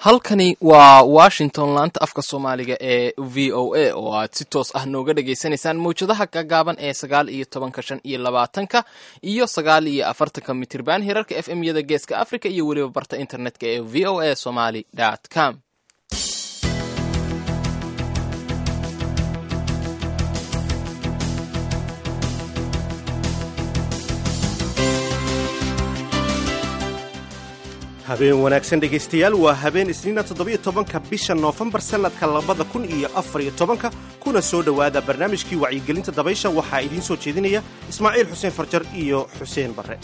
Halkani waa Washington, laanta afka Soomaaliga ee VOA oo aad si toos ah nooga dhagaysanaysaan mawjadaha gagaaban ee 19-ka, 25-ka iyo 49-ka mitirban, hirarka FM yada Geeska Africa iyo weliba barta internetka ee voasomali com. Habeen wanaagsan, dhegaystayaal. Waa habeen Isniina, 17-ka bisha Noofembar, sannadka 2014-ka. Kuna soo dhowaada barnaamijkii wacyigelinta dabaysha. Waxaa idiin soo jeedinaya Ismaaciil Xuseen Farjar iyo Xuseen Barre.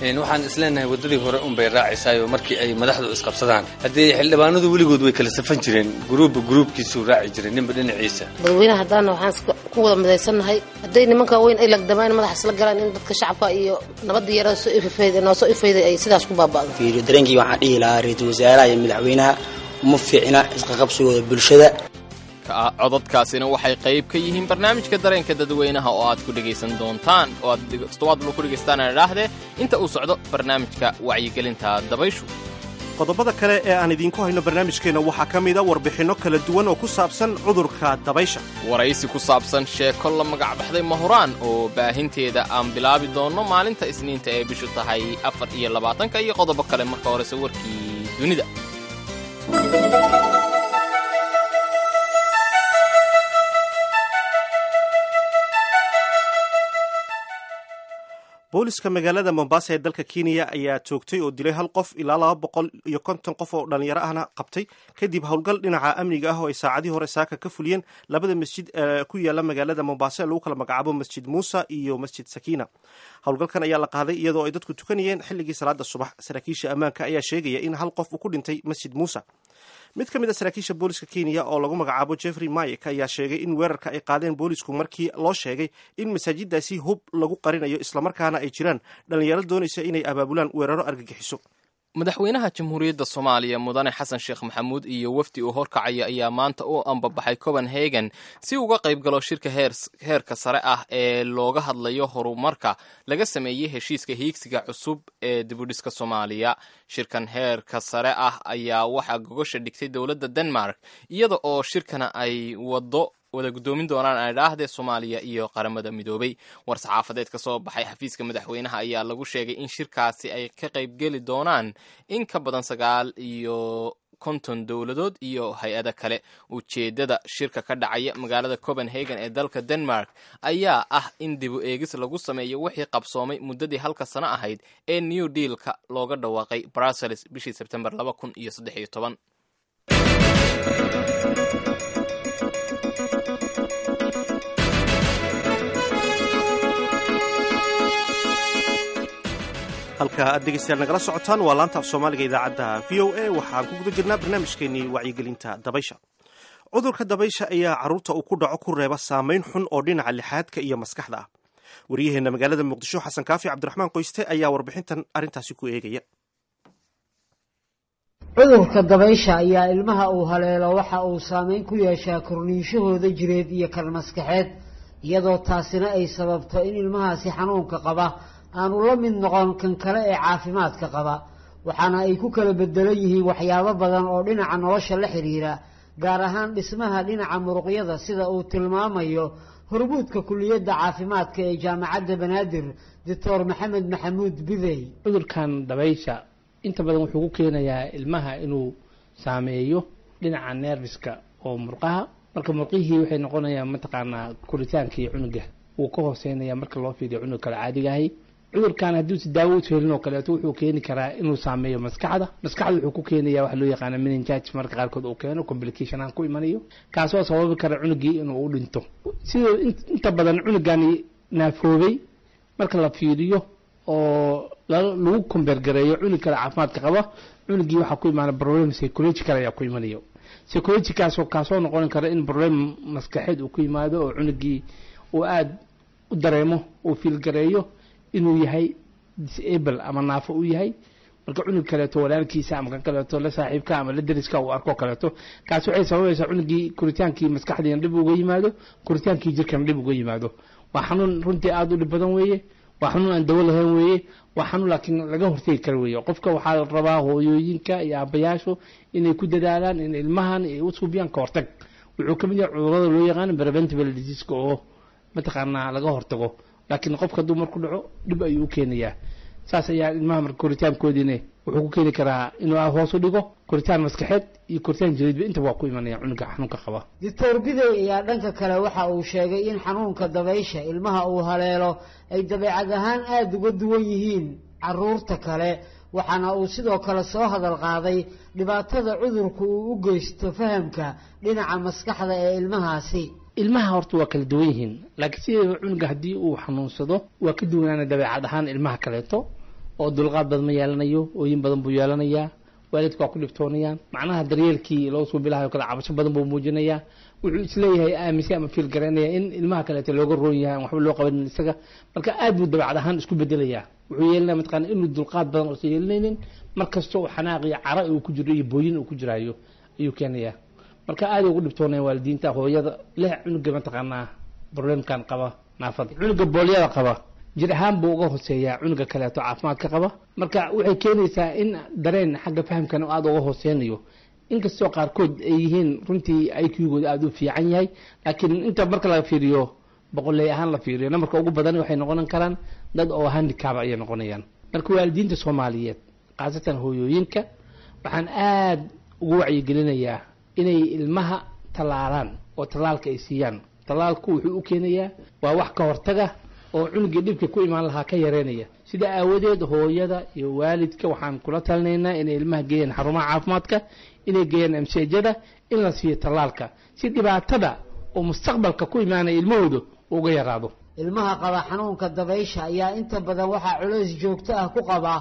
Waxaan isleenahay waddadii hore unbay raacaysaayo markii ay madaxdu isqabsadaan. Haddii xildhibaanadu weligood way kala safan jireen, guruubba guruubkiisuu raaci jiray, ninba dhinaciisa. Dadweynaha haddaana waxaan ku wada midaysannahay, hadday nimanka weyn ay lagdamaan, madaxa isla galaan, in dadka shacabka iyo nabadda yara soo ifafayda noo soo ifayday ay sidaas ku baaba'do. Fiiriyo dareenkii, waxaan dhihi lahaa ra-iisul wasaaraha iyo madaxweynaha uma fiicna isqaqabsigooda bulshada. Codadkaasina waxay qayb ka yihiin barnaamijka dareenka dadweynaha oo aad ku dhegaysan doontaan, oo aad toddobaad ku dhegaystaan idhaahdee, inta uu socdo barnaamijka wacyigelinta dabayshu. Qodobada kale ee aan idiinku hayno barnaamijkeenna waxaa ka mida warbixinno kala duwan oo ku saabsan cudurka dabaysha, waraysi ku saabsan sheeko la magac baxday Mahuraan oo baahinteeda aan bilaabi doonno maalinta Isniinta ee bishu tahay 24-ka, iyo qodobo kale. Marka horese warkii dunida. Booliska magaalada Mombasa ee dalka Kenya ayaa toogtay oo dilay hal qof, ilaa 250 qof oo dhalinyaro ahna qabtay, kadib howlgal dhinaca amniga ah oo ay saacadii hore saaka ka fuliyeen labada masjid ee ku yaala magaalada Mombasa ee lagu kala magacaabo Masjid Muusa iyo Masjid Sakiina. Howlgalkan ayaa la qaaday iyadoo ay dadku tukanayeen xilligii salaada subax. Saraakiisha ammaanka ayaa sheegaya in hal qof uu ku dhintay Masjid Muusa. Mid ka mid a saraakiisha booliska Kenya oo lagu magacaabo Jeffrey Mayek ayaa sheegay in weerarka ay qaadeen boolisku markii loo sheegay in masaajidaasi hub lagu qarinayo, islamarkaana ay jiraan dhalinyaro doonaysa inay abaabulaan weeraro argagixiso. Madaxweynaha Jamhuuriyadda Soomaaliya, Mudane Xasan Sheekh Maxamuud, iyo wafdi uu horkacaya ayaa maanta u ambabaxay Copenhagen si uga qayb galo shirka heerka sare ah ee looga hadlayo horumarka laga sameeyey heshiiska hiigsiga cusub ee dibudhiska Soomaaliya. Shirkan heerka sare ah ayaa waxaa gogosha dhigtay dowladda Denmark, iyada oo shirkana ay wado wada guddoomin doonaan aydhaahdee Soomaaliya iyo Qaramada Midoobay. War-saxaafadeed ka soo baxay xafiiska madaxweynaha ayaa lagu sheegay in shirkaasi ay ka qaybgeli doonaan in ka badan 59 dowladood iyo hay-ado kale. Ujeeddada shirka ka dhacaya magaalada Copenhagen ee dalka Denmark ayaa ah in dibu eegis lagu sameeyo wixii qabsoomay muddadii halka sano ahayd ee New Dealka looga dhawaaqay Brussels bishii Sebtembar 2013. Halka aad dhegeystayaal nagala socotaan waa laanta af Soomaaliga idaacadda VOA. Waxaan ku guda jirnaa barnaamijkeenii wacyigelinta dabaysha. Cudurka dabaysha ayaa carruurta uu ku dhaco ku reeba saamayn xun oo dhinaca lixaadka iyo maskaxda ah. Wariyaheenna magaalada Muqdisho, Xasan Kaafi Cabdiraxmaan Qoyste, ayaa warbixintan arrintaasi ku eegaya. Cudurka dabaysha ayaa ilmaha uu haleelo waxa uu saameyn ku yeeshaa korniinshahooda jireed iyo kan maskaxeed, iyadoo taasina ay sababto in ilmahaasi xanuunka qaba aanu la mid noqon kan kale ee caafimaadka qaba. Waxaana ay ku kala bedelan yihiin waxyaabo badan oo dhinaca nolosha la xiriira, gaar ahaan dhismaha dhinaca muruqyada, sida uu tilmaamayo hormuudka kuliyadda caafimaadka ee Jaamacadda Banaadir, Doctor Maxamed Maxamuud Bidey. Cudurkan dabaysha inta badan wuxuu ku keenayaa ilmaha inuu saameeyo dhinaca nerviska oo murqaha. Marka murqihii waxay noqonayaan, mataqaanaa, koritaankii cunuga wuu ka hooseynaya marka loo fiiriyo cunug kale caadigahay. Cudurkan hadduu si daawo u helin oo kaleeto, wuxuu keeni karaa inuu saameeyo maskaxda. Maskaxda wuxuu ku keenaya waxa loo yaqaana meningitis, marka qaarkood uu keeno complication aan ku imanayo, kaasoo sababi kara cunugii inuu u dhinto. Sidoo inta badan cunugani naafoobay marka la fiiriyo oo lagu kombeergareeyo cunug kale caafimaadka qaba, cunugii waxaa ku imaana problem psychological ayaa ku imanayo, psychologicalkaasoo kaasoo noqon kara in problem maskaxeed uu ku yimaado oo cunugii uu aada u dareemo, uu fiilgareeyo inuu yahay disable ama naafo u yahay. Marka cunug kaleeto walaalkiisa ama kan kaleeto la saaxiibka ama la deriska uu arko kaleeto, kaasi waxay sababaysaa cunugii koritaankii maskaxdiina dhib uga yimaado, koritaankii jirkana dhib uga yimaado. Waa xanuun runtii aada u dhib badan weeye. Waa xanuun aan dawo lahayn weeye, waa xanuun laakiin laga hortegi karo weeye. Qofka waxaa la rabaa, hooyooyinka iyo aabayaashu, inay ku dadaalaan in ilmahan ay u suubiyaan ka hortag. Wuxuu ka mid yahay cudurrada loo yaqaano preventable diseaseka oo mataqaanaa laga hortago, laakiin qofka hadduu marku dhaco dhib ayuu u keenayaa. Saas ayaa ilmaha marka koritaankoodiina wuxuu ku keeni karaa inuu hoos u dhigo koritaan maskaxeed iyo koritaan jireedba, intaba waa ku imanaya cunuga xanuunka qaba. Doctor Bidey ayaa dhanka kale waxa uu sheegay in xanuunka dabaysha ilmaha uu haleelo ay dabeecad ahaan aada uga duwan yihiin caruurta kale, waxaana uu sidoo kale soo hadal qaaday dhibaatada cudurku uu u geysto fahamka dhinaca maskaxda ee ilmahaasi. Ilmaha horta waa kala duwan yihiin, laakiin sideedaba cunuga haddii uu xanuunsado waa ka duwanaana dabeecad ahaan ilmaha kaleeto, oo dulqaad badan ma yeelanayo, ooyin badan buu yeelanayaa, waalidka waa ku dhibtoonayaan, macnaha daryeelkii loo suubilahayo kale cabasho badan buu muujinayaa. Wuxuu isleeyahay, aaminsan ama feel garaynaya in ilmaha kaleeto looga roon yahay, aan waxba loo qabanin isaga. Marka aad buu dabeecad ahaan isku bedelayaa. Wuxuu yeelanaya mataqaana inuu dulqaad badan uusan yeelanaynin, mar kasta oo xanaaq iyo cara uu ku jiro iyo booyin uu ku jiraayo ayuu keenayaa. Marka aad ugu dhibtoonaya waalidiinta, hooyada leh cunuga mataqaanaa problemkan qaba, naafada. Cunuga boolyada qaba jir ahaan buu uga hooseeyaa cunuga kaleeto caafimaadka qaba. Marka waxay keenaysaa in dareen xagga fahamkana aada uga hooseynayo, inkastoo qaarkood ay yihiin runtii IQ-gooda aada u fiican yahay, laakiin inta marka laga fiiriyo boqoley ahaan la fiiriyo, nambarka ugu badan waxay noqon karaan dad oo handicap ayay noqonayaan. Marka waalidiinta Soomaaliyeed, khaasatan hooyooyinka, waxaan aada ugu wacyigelinayaa inay ilmaha tallaalaan oo tallaalka ay siiyaan. Tallaalku wuxuu u keenayaa waa wax ka hortaga oo cunugii dhibka ku imaan lahaa ka yareynaya. Sida aawadeed hooyada iyo waalidka waxaan kula talinaynaa inay ilmaha geeyaan xarumaha caafimaadka, inay geeyaan MCH-yada, in la siiyo tallaalka si dhibaatada oo mustaqbalka ku imaanaya ilmahooda uga yaraado. Ilmaha qaba xanuunka dabaysha ayaa inta badan waxaa culays joogto ah ku qaba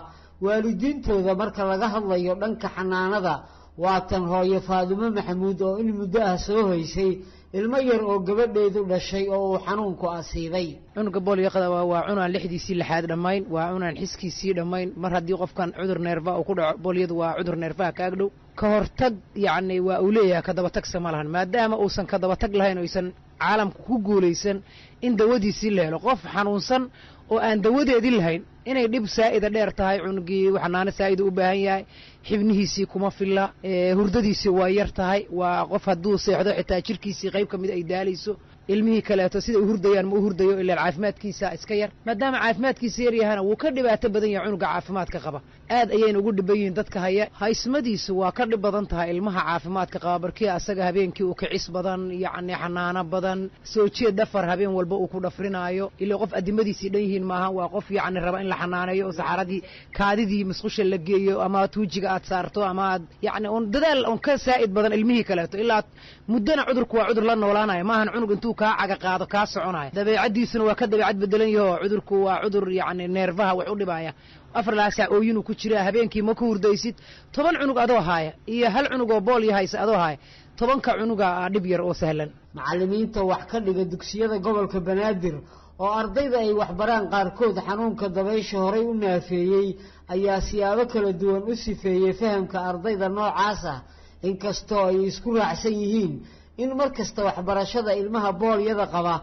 waalidiintooda marka laga hadlayo dhanka xanaanada. Waatan hooyo Faadumo Maxamuud oo in muddo ah soo hoysay ilmo yar oo gabadheedu dhashay oo uu xanuunku asiibay. Cunuga booliyaqada waa cunaan lixdiisii lixaad dhammayn, waa cunaan xiskiisii dhammayn. Mar haddii qofkan cudur neerfa uu ku dhaco, boolyadu waa cudur neerfaha ka agdhow. Ka hortag yacni waa uu leeyahay, ka dabatagsa ma lahan, maadaama uusan ka dabatag lahayn, oysan caalamku ku guulaysan in dawadiisii la helo. Qof xanuunsan oo aan dawadeedii lahayn inay dhib saa'ida dheer tahay. Cunugii xanaano saa'ida u baahan yahay, xibnihiisii kuma filla, hurdadiisii waa yar tahay, waa qof hadduu seexdo xitaa jirkiisii qayb ka mid ay daalayso. Ilmihii kaleeto sida u hurdayaan ma u hurdayo, ilaan caafimaadkiisa iska yar. Maadaama caafimaadkiisa yar yahana, wuu ka dhibaato badan yahay cunuga caafimaadka qaba. Aad ayayna ugu dhiban yihiin dadka haya. Haysmadiisu waa ka dhib badan tahay ilmaha caafimaadka qaba, barkii asaga habeenkii uu kicis badan, yacni xanaano badan, soo jeed, dhafar habeen walba uu ku dhafrinaayo. Ilaa qof adimadiisii dhan yihiin maaha, waa qof yacni raba in la xanaaneeyo oo saxaradii, kaadidii musqusha la geeyo ama tuujiga aad saarto ama aad yacni un dadaal un ka saa'id badan ilmihii kaleeto. Ilaa muddana cudurku waa cudur la noolaanaya, maahan cunug intuu kaa caga qaado kaa soconaya. Dabeecaddiisuna waa ka dabeecad bedelan yaho. Cudurku waa cudur yacni neerfaha wax u dhibaya. 4 saac ooyinuu ku jiraa, habeenkii ma ku hurdaysid. 10 cunug adoo haaya iyo hal cunug oo boolyo haysa adoo haaya, 10-ka cunuga aa dhib yar oo sahlan. Macallimiinta wax ka dhiga dugsiyada gobolka Banaadir oo ardayda ay waxbaraan qaarkood xanuunka dabaysha horay u naafeeyey ayaa siyaabo kala duwan u sifeeyey fahamka ardayda noocaas ah, inkastoo ay isku raacsan yihiin in mar kasta waxbarashada ilmaha boolyada qaba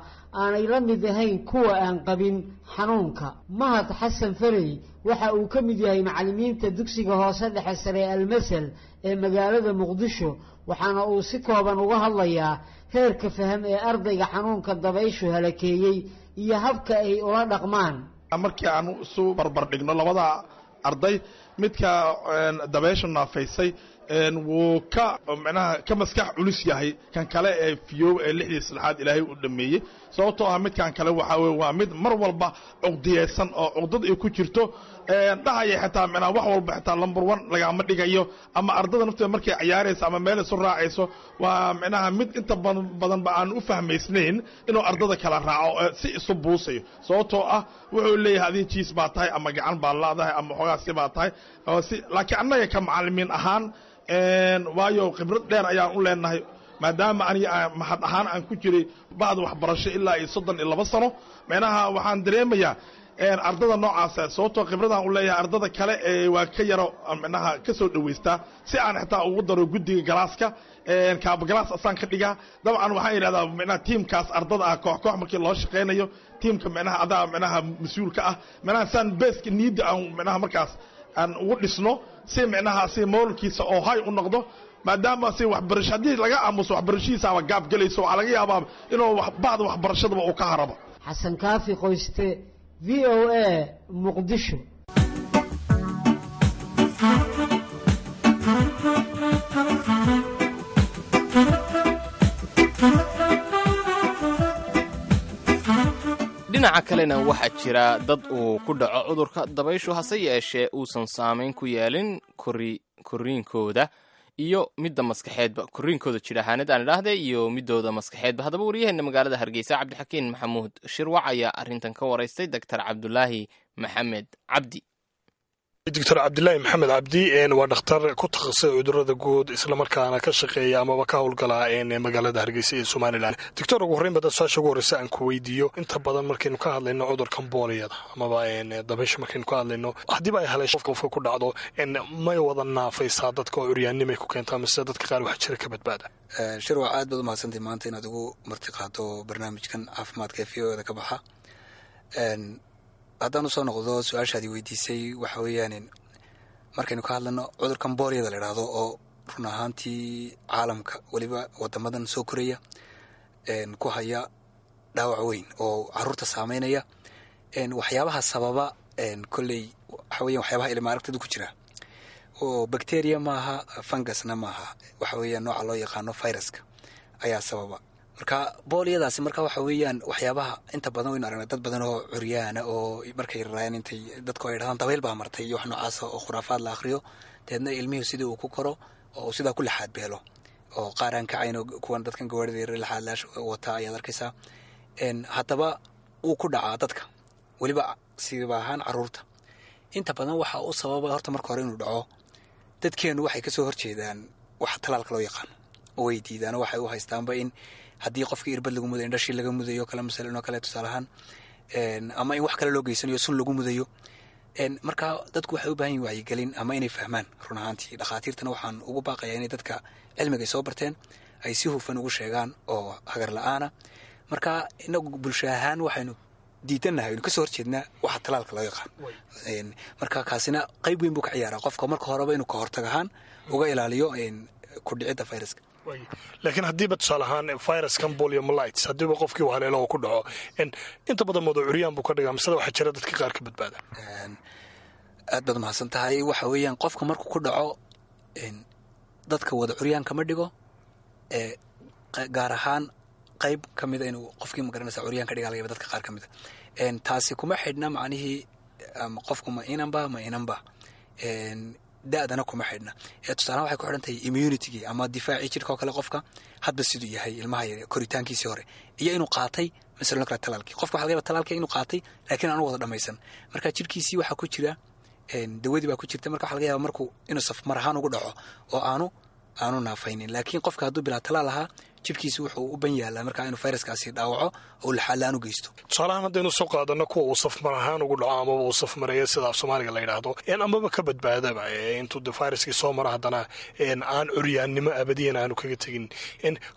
aanay la mid ahayn kuwa aan qabin xanuunka. Mahad Xasan Farey waxa uu ka mid yahay macallimiinta dugsiga hoose dhexe sare Almasal ee magaalada Muqdisho, waxaana uu si kooban uga hadlayaa heerka faham ee ardayga xanuunka dabayshu halakeeyey iyo habka ay ula dhaqmaan. Markii aan isu barbar dhigno labada arday, midka dabaysha naafaysay wuu ka micnaha ka maskax culus yahay kan kale ee fiyow ee lixdii saddexaad Ilaahay u dhameeyey, sababtoo ah midkan kale waxaa weye waa mid mar walba cuqdiyeysan oo cuqdad ay ku jirto, dhahaya xitaa micnaha wax walba xitaa number one lagama dhigayo, ama ardada nafteeda markay ciyaarayso ama meel isu raacayso, waa micnaha mid inta badanba aan u fahmaysnayn inuu ardada kala raaco, si isu buusayo, sababtoo ah wuxuu leeyahay adiga jiis baa tahay ama gacan baa laadahay ama xoogaa si baa tahay si. Laakiin annaga ka macallimiin ahaan, waayo khibrad dheer ayaan u leenahay, maadaama aniga mahad ahaan aan ku jiray bacda waxbarasho ilaa iyo 32 sano, micnaha waxaan dareemayaa Ardada noocaasa, sababtoo khibradaan u leeyahay ardada kale ee waa ka yaro micnaha ka soo dhoweystaa, si aan xitaa ugu daro guddiga galaaska, kaabagalaas asaan ka dhigaa. Dabcan waxaan yidhahdaa micnaha tiimkaas ardada ah koox koox markii loo shaqaynayo, tiimka micnaha adaa micnaha mas-uulka ah, micnaha saan beeska niyadda aan micnaha markaas aan ugu dhisno, si micnaha si moolkiisa oo hay u noqdo, maadaama si waxbarasho haddii laga aamuso waxbarashadiisaaba gaab gelayso, waxaa laga yaabaa inuu bacda waxbarashadaba uu ka harabo. Xasan Kaafi Qoyste, VOA, Muqdisho. Dhinaca kalena waxaa jira dad uu ku dhaco cudurka dabayshu, hase yeeshee uusan saamayn ku yeelin korriinkooda iyo midda maskaxeedba, korriinkooda jir ahaaneed aan idhaahde iyo midooda maskaxeedba. Haddaba waryaheena magaalada Hargeysa, Cabdixakiin Maxamuud Shirwac, ayaa arrintan ka waraystay Doctor Cabdulaahi Maxamed Cabdi. Doctor Cabdilaahi Maxamed Cabdi waa dhakhtar ku takhasusay cudurada guud, islamarkaana ka shaqeeya amaba ka howlgala magaalada Hargeysa ee Somaliland. Doctor, ugu horreyn bada su-aasha ugu horreysa aan ku weydiiyo: inta badan markaynu ka hadlayno cudurkan booliyada amaba dabaysha markaynu ka hadlayno, haddiiba ay haleesho qofka ku dhacdo, may wada naafaysaa dadka oo curyaannimay ku keentaa, mise dadka qaar waxaa jira ka badbaada? Shirwac, aad baad umahadsantay maanta inaad ugu marti qaado barnaamijkan caafimaadka ee VOA da ka baxa. Haddaan usoo noqdo su-aashaadii weydiisay, waxa weeyaan markaynu ka hadlano cudurkan boolyada la idhaahdo, oo run ahaantii caalamka, weliba wadamadan soo koraya, ku haya dhaawac weyn oo caruurta saameynaya, waxyaabaha sababa kolley waxa weyan waxyaabaha ilma aragtada ku jira, oo bacteria maaha, fungusna maaha, waxa weeyaan nooca loo yaqaano viruska ayaa sababa. Marka boolyadaasi marka waxa weeyaan waxyaabaha inta badan waynu aragnay dad badan oo curyaana oo markay raraayaan intay dadku ay dhahdaan dabayl baa martay iyo wax noocaasa oo khuraafaad la akhriyo, deedna ilmihii sidii uu ku koro oo sidaa ku laxaad beelo, oo qaar aan kacayn oo kuwan dadkan gawaarida yar laxaadlaash wata ayaad arkaysaa. Haddaba wuu ku dhacaa dadka, weliba siiba ahaan caruurta. Inta badan waxa u sababa horta marka hore inuu dhaco, dadkeenu waxay kasoo horjeedaan waxa talaalka loo yaqaano oo way diidaan, oo waxay u haystaanba in haddii qofkii irbad lagu mudayo indhashii laga mudayo kale masalan oo kale tusaale ahaan, ama in wax kale loo geysanayo, sun lagu mudayo. Marka dadku waxay u baahan yihin wacyigelin ama inay fahmaan. Run ahaantii dhakhaatiirtana waxaan ugu baaqayaa inay dadka cilmigay soo barteen ay si hufan ugu sheegaan oo hagar la-aana. Marka inagu bulsho ahaan waxaynu diidannahay, aynu kasoo horjeednaa waxa talaalka loo yaqaan. Marka kaasina qayb weyn buu ka ciyaaraa qofka marka horeba inuu ka hortag ahaan uga ilaaliyo ku dhicidda viruska. Laakiin haddiiba tusaale ahaan viruskan poliomyelitis haddiiba qofkii haleelo oo ku dhaco, inta badan moodo curyaan buu ka dhigaa, misada waxaa jira dadka qaar ka badbaada? Aad baad mahadsan tahay. Waxa weeyaan qofka markuu ku dhaco dadka wada curyaan kama dhigo, gaar ahaan qayb ka mida inuu qofkii magaranaysa curyaan ka dhigaa laga yaaba dadka qaar ka mida. Taasi kuma xidhna macnihii qofku ma inanba ma inanba, da-dana kuma xidhna. Tusaalahan waxay ku xidhan tahay immunitygii ama difaacii jirka oo kale, qofka hadba siduu yahay ilmaha yar koritaankiisii hore iyo inuu qaatay masalan kale talaalkii. Qofka waxa laga yaba talaalkii inuu qaatay laakiin aanu wada dhamaysan, marka jirkiisii waxaa ku jira dawadii baa ku jirta. Marka waxa laga yaaba markuu inuu safmar ahaan ugu dhaco oo aanu naafaynin. Laakiin qofka hadduu bilaa talaal ahaa, jirkiisu wuxuu u ban yaalaa markaa inuu fayraskaasi dhaawaco oo laxaalaan u geysto. Tusaalahaan haddaynu soo qaadano kuwa uu safmar ahaan ugu dhaco amaba uu safmareeyo sida af Soomaaliga la yidhaahdo, amaba ka badbaadaba intuu de fayraskii soo mara, haddana aan curyaannimo abadiyan aanu kaga tegin,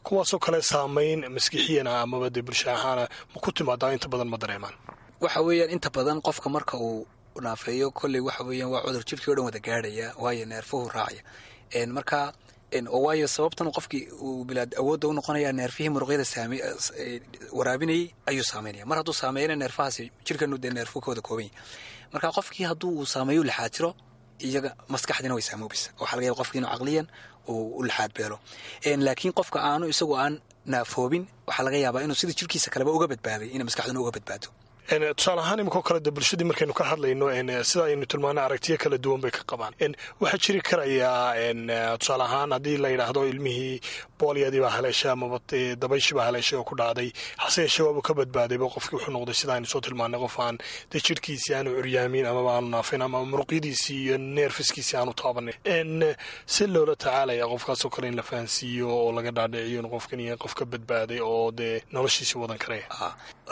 kuwaasoo kale saamayn maskixiyana amaba dee bulsha ahaana ma ku timaadaa? Inta badan ma dareemaan? Waxa weeyaan inta badan qofka marka uu naafeeyo kolley waxa weeyaan waa cudur jirkii o dhan wada gaadhaya, waayo neerfuhu raacaya. Marka oo waayo sababtan qofkii uu bilaad awoodda u noqonaya, neerfihii muruqyada saame waraabinayay ayuu saameynaya. Mar hadduu saameeyana neerfahaasi, jirkanu dee neerfuhu ka wada kooban yahay, marka qofkii hadduu uu saameeyo laxaad jiro, iyaga maskaxdiina way saamoobeysa. Waxaa laga yaba qofkii inuu caqliyan uu u laxaad beelo. Laakiin qofka aanu isagu aan naafoobin, waxaa laga yaabaa inuu sida jirkiisa kaleba uga badbaaday inay maskaxduna uga badbaado. Tusaale ahaan imikoo kale de bulshadii markaynu ka hadlayno, sida aynu tilmaano aragtiyo kala duwan bay ka qabaan. Waxaa jiri karayaa tusaale ahaan haddii la yidhaahdo ilmihii booliyadii baa haleeshay amaba dabayshii baa haleeshay oo ku dhacday, hase yeeshee waaba ka badbaadayba qofkii, wuxuu noqday sida aynu soo tilmaanay qof aan dee jirhkiisii aanu curyaamin amaba aanu naafin ama muruqyadiisii iyo neerfiskiisii aanu taabanin, si loola tacaalaya qofkaasoo kale in la fahansiiyo oo laga dhaadhiciyo in qofkan yahay qof ka badbaaday oo dee noloshiisii wadan karaya?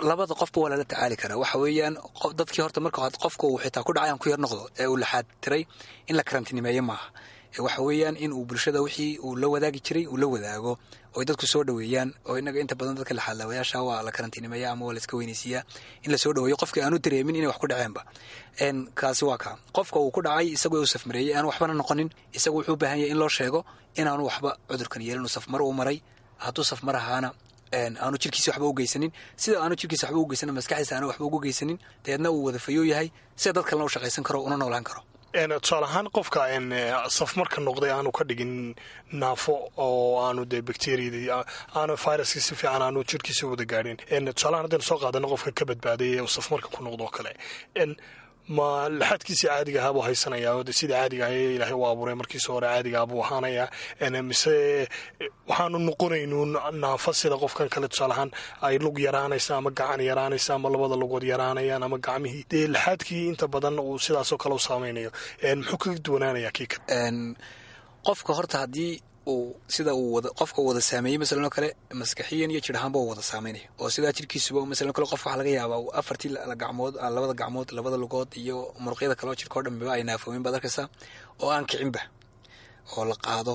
Labada qofba waa lala tacaali karaa. kara waxa weeyaan dadkii horta marka qofka uu xitaa ku dhacay aan ku yar noqdo ee uu laxaad tiray in la karantiinimeeyo maaha. Waxa weeyaan in uu bulshada wixii uu la wadaagi jiray uu la wadaago oo dadku soo dhoweeyaan, oo inaga inta badan dadka laxaadlaawayaasha waa la karantiinimeeya ama waa la iska weynaysiiyaa, in la soo dhoweeyo qofkii aanu dareemin inay wax ku dhaceenba. Kaasi waa kaa qofka uu ku dhacay isagoo uu safmareeyey aan waxbana noqonin, isagu wuxuu u baahan yahay in loo sheego inaanu waxba cudurkan yeelin, uu safmar uu maray. Hadduu safmar ahaana aanu jirkiisa waxba u geysanin, sida aanu jirkiisa waxba u geysanin maskaxdiisa aanu waxba ugu geysanin, dabeedna uu wada fayoo yahay sida dad kalena u shaqaysan karo una noolaan karo. Tusaale ahaan qofka safmarka noqday aanu ka dhigin naafo oo aanu dee bacteriadii aanu viruskii si fiican aanu jirkiisa wada gaadhin, tusaalahaan haddaynu soo qaadano qofka ka badbaaday ee uu safmarka ku noqdo oo kale, ma laxadkiisii caadiga ahaa buu haysanayaa oo sidii caadiga ah ee ilaahay u abuuray markiisa hore caadiga ah buu ahaanayaa, mise waxaanu noqonaynuun naafo sida qofkan kale, tusaale ahaan ay lug yaraanaysa ama gacan yaraanaysa ama labada lugood yaraanayaan ama gacmihii dee laxaadkii inta badan uu sidaasoo kale u saameynayo, muxuu kaga duwanaanayaa kii kale? Qofka horta haddii uu sida uu wada qofka uu wada saameeyey masalan oo kale maskaxiyan iyo jir ahaanba uu wada saameynaya, oo sidaa jirkiisuba masalan kale qof waxaa laga yaabaa uu afartii gacmood, labada gacmood, labada lugood iyo muruqyada kale oo jirka oo dhanba ay naafoomin baad arkaysaa oo aan kicinba oo la qaado.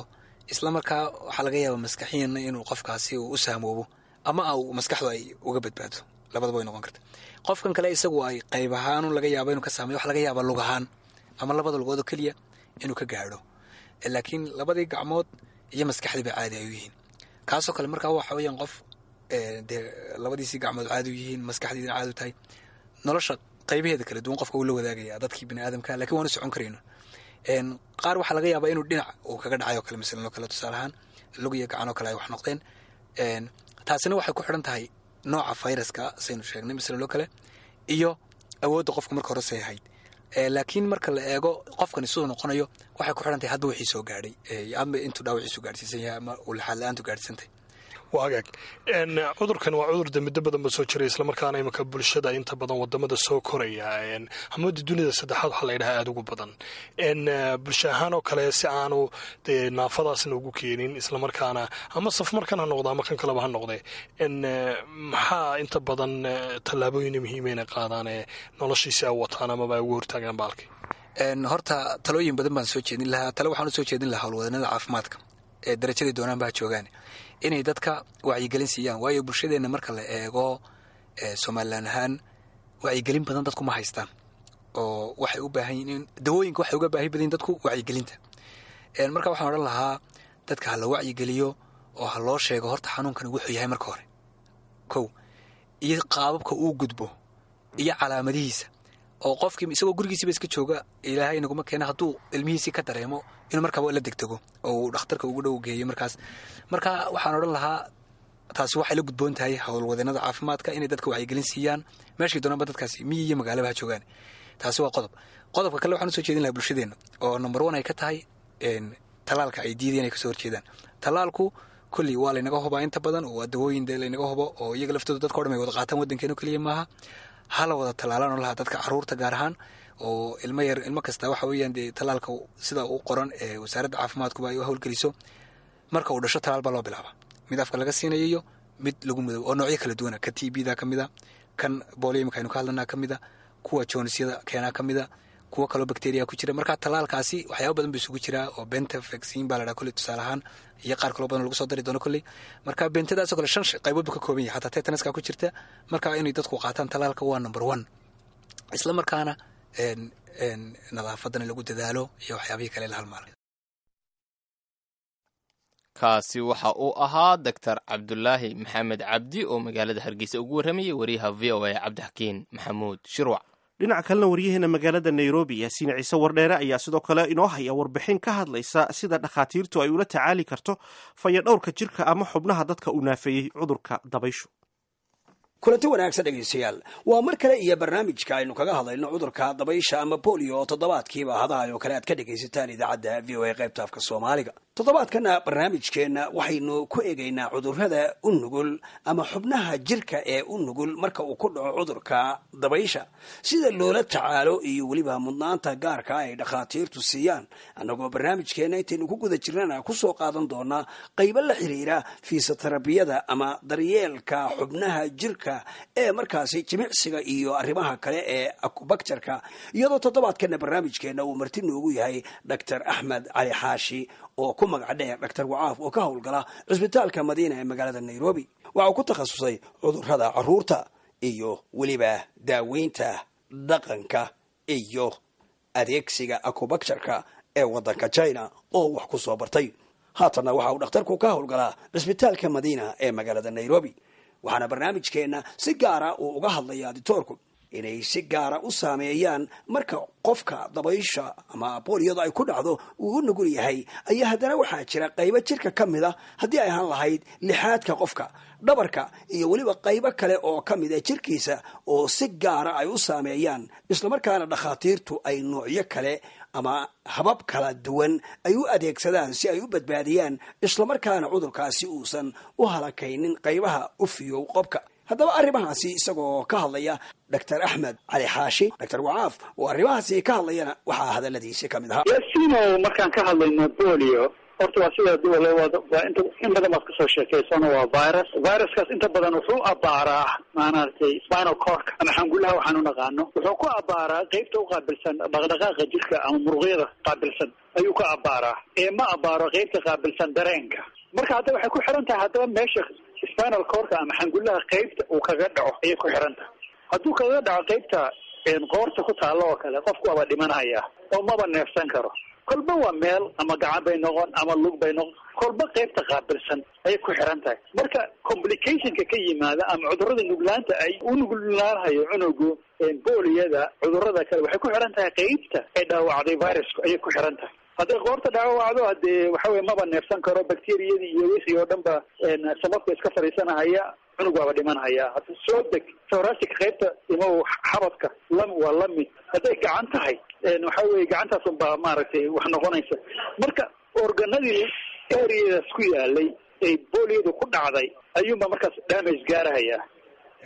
Isla markaa waxaa laga yaabaa maskaxiyanna inuu qofkaasi uu u saamoobo ama uu maskaxdu ay uga badbaado, labadaba way noqon karta. Qofkan kale isagu ay qayb ahaan laga yaaba inuu ka saameeyo, waxa laga yaabaa lug ahaan ama labada lugood oo keliya inuu ka gaadho, laakiin labadii gacmood iyo maskaxdii ba caadi ay u yihiin. Kaasoo kale markaa waxa weeyaan qof dee labadiisii gacmood caadi u yihiin, maskaxdiisina caadi u tahay, nolosha qaybaheeda kala duwan qofka uu la wadaagaya dadkii bini aadamka, lakiin waanu socon karayno. Qaar waxaa laga yaabaa inuu dhinac uu kaga dhacay oo kale masalan oo kale tusaale ahaan lug iyo gacan oo kale ay wax noqdeen. Taasina waxay ku xidhan tahay nooca fayraska saynu sheegnay masalan oo kale iyo awoodda qofka marka hore say ahayd, laakiin marka la eego qofkani siduu noqonayo waxay ku xidhan tahay hadba wixii soo gaadhay ama intuu dhaawaciisu gaadhsiisan yahay ama uu laxaad la-aantu gaadhsiisantay. Waa hagaag. Cudurkan waa cudur de muddo badan ba soo jiray, islamarkaana iminka bulshada inta badan wadamada soo koraya hamada dunida saddexaad waxaa la yidhaha aada ugu badan, bulsho ahaan oo kale si aanu dee naafadaasna ugu keenin, islamarkaana ama safmarkan ha noqdo ama kan kaleba ha noqde, maxaa inta badan tallaabooyin muhiima inay qaadaan ee noloshiisi ay wataan amaba ay ugu hortaagaan baalki? Horta talooyin badan baan soo jeedin lahaa. Tale waxaan u soo jeedin lahaa howlwadanada caafimaadka ee darajadii doonaan baa joogaan inay dadka wacyigelin siiyaan, waayo bulshadeenna marka la eego Somalilan ahaan wacyigelin badan dadku ma haystaan, oo waxay u baahan yihiin dawooyinka, waxay uga baahi badan yihin dadku wacyigelinta. Marka waxaan odhan lahaa dadka ha la wacyigeliyo oo ha loo sheego horta xanuunkan wuxuu yahay marka hore kow, iyo qaababka uu gudbo iyo calaamadihiisa, oo qofkii isagoo gurigiisiiba iska jooga ilaahay naguma keena hadduu ilmihiisii ka dareemo inuu markaaba la degdego oo uu dhakhtarka ugu dhow geeyo markaas. Marka waxaan odhan lahaa taasi waxay la gudboon tahay howlwadeennada caafimaadka inay dadka wacyigelin siiyaan meeshii doonaanba dadkaasi miyi iyo magaalaba ha joogaan. Taasi waa qodob. Qodobka kale waxaan usoo jeedin lahaa bulshadeenna oo number one ay ka tahay talaalka ay diideen ay kasoo horjeedaan. Talaalku kulli waa laynaga hubaa inta badan oo waa dawooyin dee laynaga hubo oo iyaga laftooda dadka o dhan ay wada qaataan, waddankeenu keliya maaha, hala wada talaalaan oo lahaa dadka caruurta gaar ahaan oo ilmo yar ilmo kasta waxa weeyaan dee talaalka sida uu qoran ee wasaaradda caafimaadkuba ay u howlgeliso marka uu dhasho talaal baa loo bilaabaa, mid afka laga siinayo iyo mid lagu mudo oo noocyo kala duwana, ka t b da ka mid a, kan booliyamka aynu ka hadlanaa ka mid a, kuwa joonisyada keenaa ka mid a, kuwa kaloo bacteria ku jira. Marka talaalkaasi waxyaaba badan buu isugu jiraa oo benta vaccine baa la dhaha kolley tusaale ahaan, iyo qaar kaloo badan lagu soo dari doono kolley. Marka bentadaasoo kale 5 qaybood buu ka kooban yahay, xataa tetanaska ku jirta. Marka inay dadku qaataan talaalka waa number one, isla markaana nadaafadana lagu dadaalo iyo waxyaabihii kale la halmaalay. Kaasi waxa uu ahaa Doctor Cabdulaahi Maxamed Cabdi oo magaalada Hargeysa ugu warramayay wariyaha VOA Cabdixakiin Maxamuud Shirwac. Dhinaca kalena waryaheena magaalada Nairobi Yaasiin Ciise Wardheere ayaa sidoo kale inoo haya warbixin ka hadlaysa sida dhakhaatiirtu ay ula tacaali karto fayadhowrka jirka ama xubnaha dadka uu naafeeyey cudurka dabayshu. Kulanti wanaagsan dhegaystayaal, waa mar kale iyo barnaamijka aynu kaga hadlayno cudurka dabaysha ama bolio oo toddobaadkiiba hadahay oo kale aad ka dhegaysataan idaacadda VOA qaybta afka Soomaaliga. Toddobaadkana barnaamijkeenna waxaynu ku eegaynaa cudurrada u nugul ama xubnaha jirka ee u nugul marka uu ku dhaco cudurka dabaysha, sida loola tacaalo iyo weliba mudnaanta gaarka ay dhakhaatiirtu siiyaan, annagoo barnaamijkeenna intaynu ku guda jirnana kusoo qaadan doonaa qaybo la xiriira fiisatarabiyada ama daryeelka xubnaha jirka adduunka ee markaasi jimicsiga iyo arrimaha kale ee akubaktarka, iyadoo toddobaadkana barnaamijkeenna uu marti noogu yahay Dr Axmed Cali Xaashi oo ku magac dheer Dr Wacaaf oo ka howlgala cisbitaalka Madiina ee magaalada Nairobi. Waxa uu ku takhasusay cudurrada caruurta iyo weliba daaweynta dhaqanka iyo adeegsiga akubaktarka ee waddanka China oo wax ku soo bartay. Haatanna waxa uu dhakhtarku ka howlgalaa cisbitaalka Madiina ee magaalada Nairobi, waxaana barnaamijkeenna si gaara uu uga hadlaya ditoorku inay si gaara u saameeyaan marka qofka dabaysha ama booliyadu ay ku dhacdo uu u nugul yahay. Ayaa haddana waxaa jira qaybo jirka ka mid a, haddii ay ahaan lahayd lixaadka qofka, dhabarka iyo weliba qaybo kale oo ka mid a jirkiisa oo si gaara ay u saameeyaan, islamarkaana dhakhaatiirtu ay noocyo kale ama habab kala duwan ay u adeegsadaan si ay u badbaadiyaan, islamarkaana cudurkaasi uusan u halakaynin qaybaha u fiyow qobka. Haddaba arrimahaasi isagoo ka hadlaya Dr Axmed Cali Xaashi, Dr Wacaaf, oo arrimahaasi ka hadlayana, waxaa hadaladiisi ka mid ahaa: Yaasino, markaan ka hadlayno bolio, horta waa sida duwale, waa inta in badan baad kasoo sheekeysano. Waa virus. Viruskaas inta badan wuxuu abbaaraa maaragtay spinal cordka ama xangulaha waxaan u naqaano. Wuxuu ku abbaaraa qeybta u qaabilsan dhaqdhaqaaqa jirka ama muruqyada qaabilsan ayuu ka abbaaraa, ee ma abbaaro qeybta qaabilsan dareenka. Marka hadda waxay ku xiran tahay haddaba meesha spinal cordka ama xangulaha qeybta uu kaga dhaco ayay ku xiran tahay. Hadduu kaga dhaco qeybta qoorta ku taalo oo kale, qofku waaba dhimanaya oo maba neefsan karo. Kolba waa meel, ama gacan bay noqon ama lug bay noqon, kolba qeybta qaabilsan ayay ku xiran tahay. Marka complicationka ka yimaada ama cudurrada nuglaanta ay u nuglaanhayo cunugu booliyada, cudurrada kale, waxay ku xiran tahay qeybta ay dhaawacday virusku ayay ku xiran tahay. Hadday qoorta dhaawacdo, hadee waxa weye maba neefsan karo, bacteriyadii iyo wixii oo dhan ba sababka iska fadhiisanahaya, cunug waaba dhimanhaya. Hadda soo deg thoracic qaybta imo xabadka lam waa lamid. Hadday gacan tahay, waxa weye gacantaas unbaa maaragtay wax noqonaysa. Marka organadii areadaas ku yaalay ee booliyadu ku dhacday ayuunbaa markaas damage gaarahaya.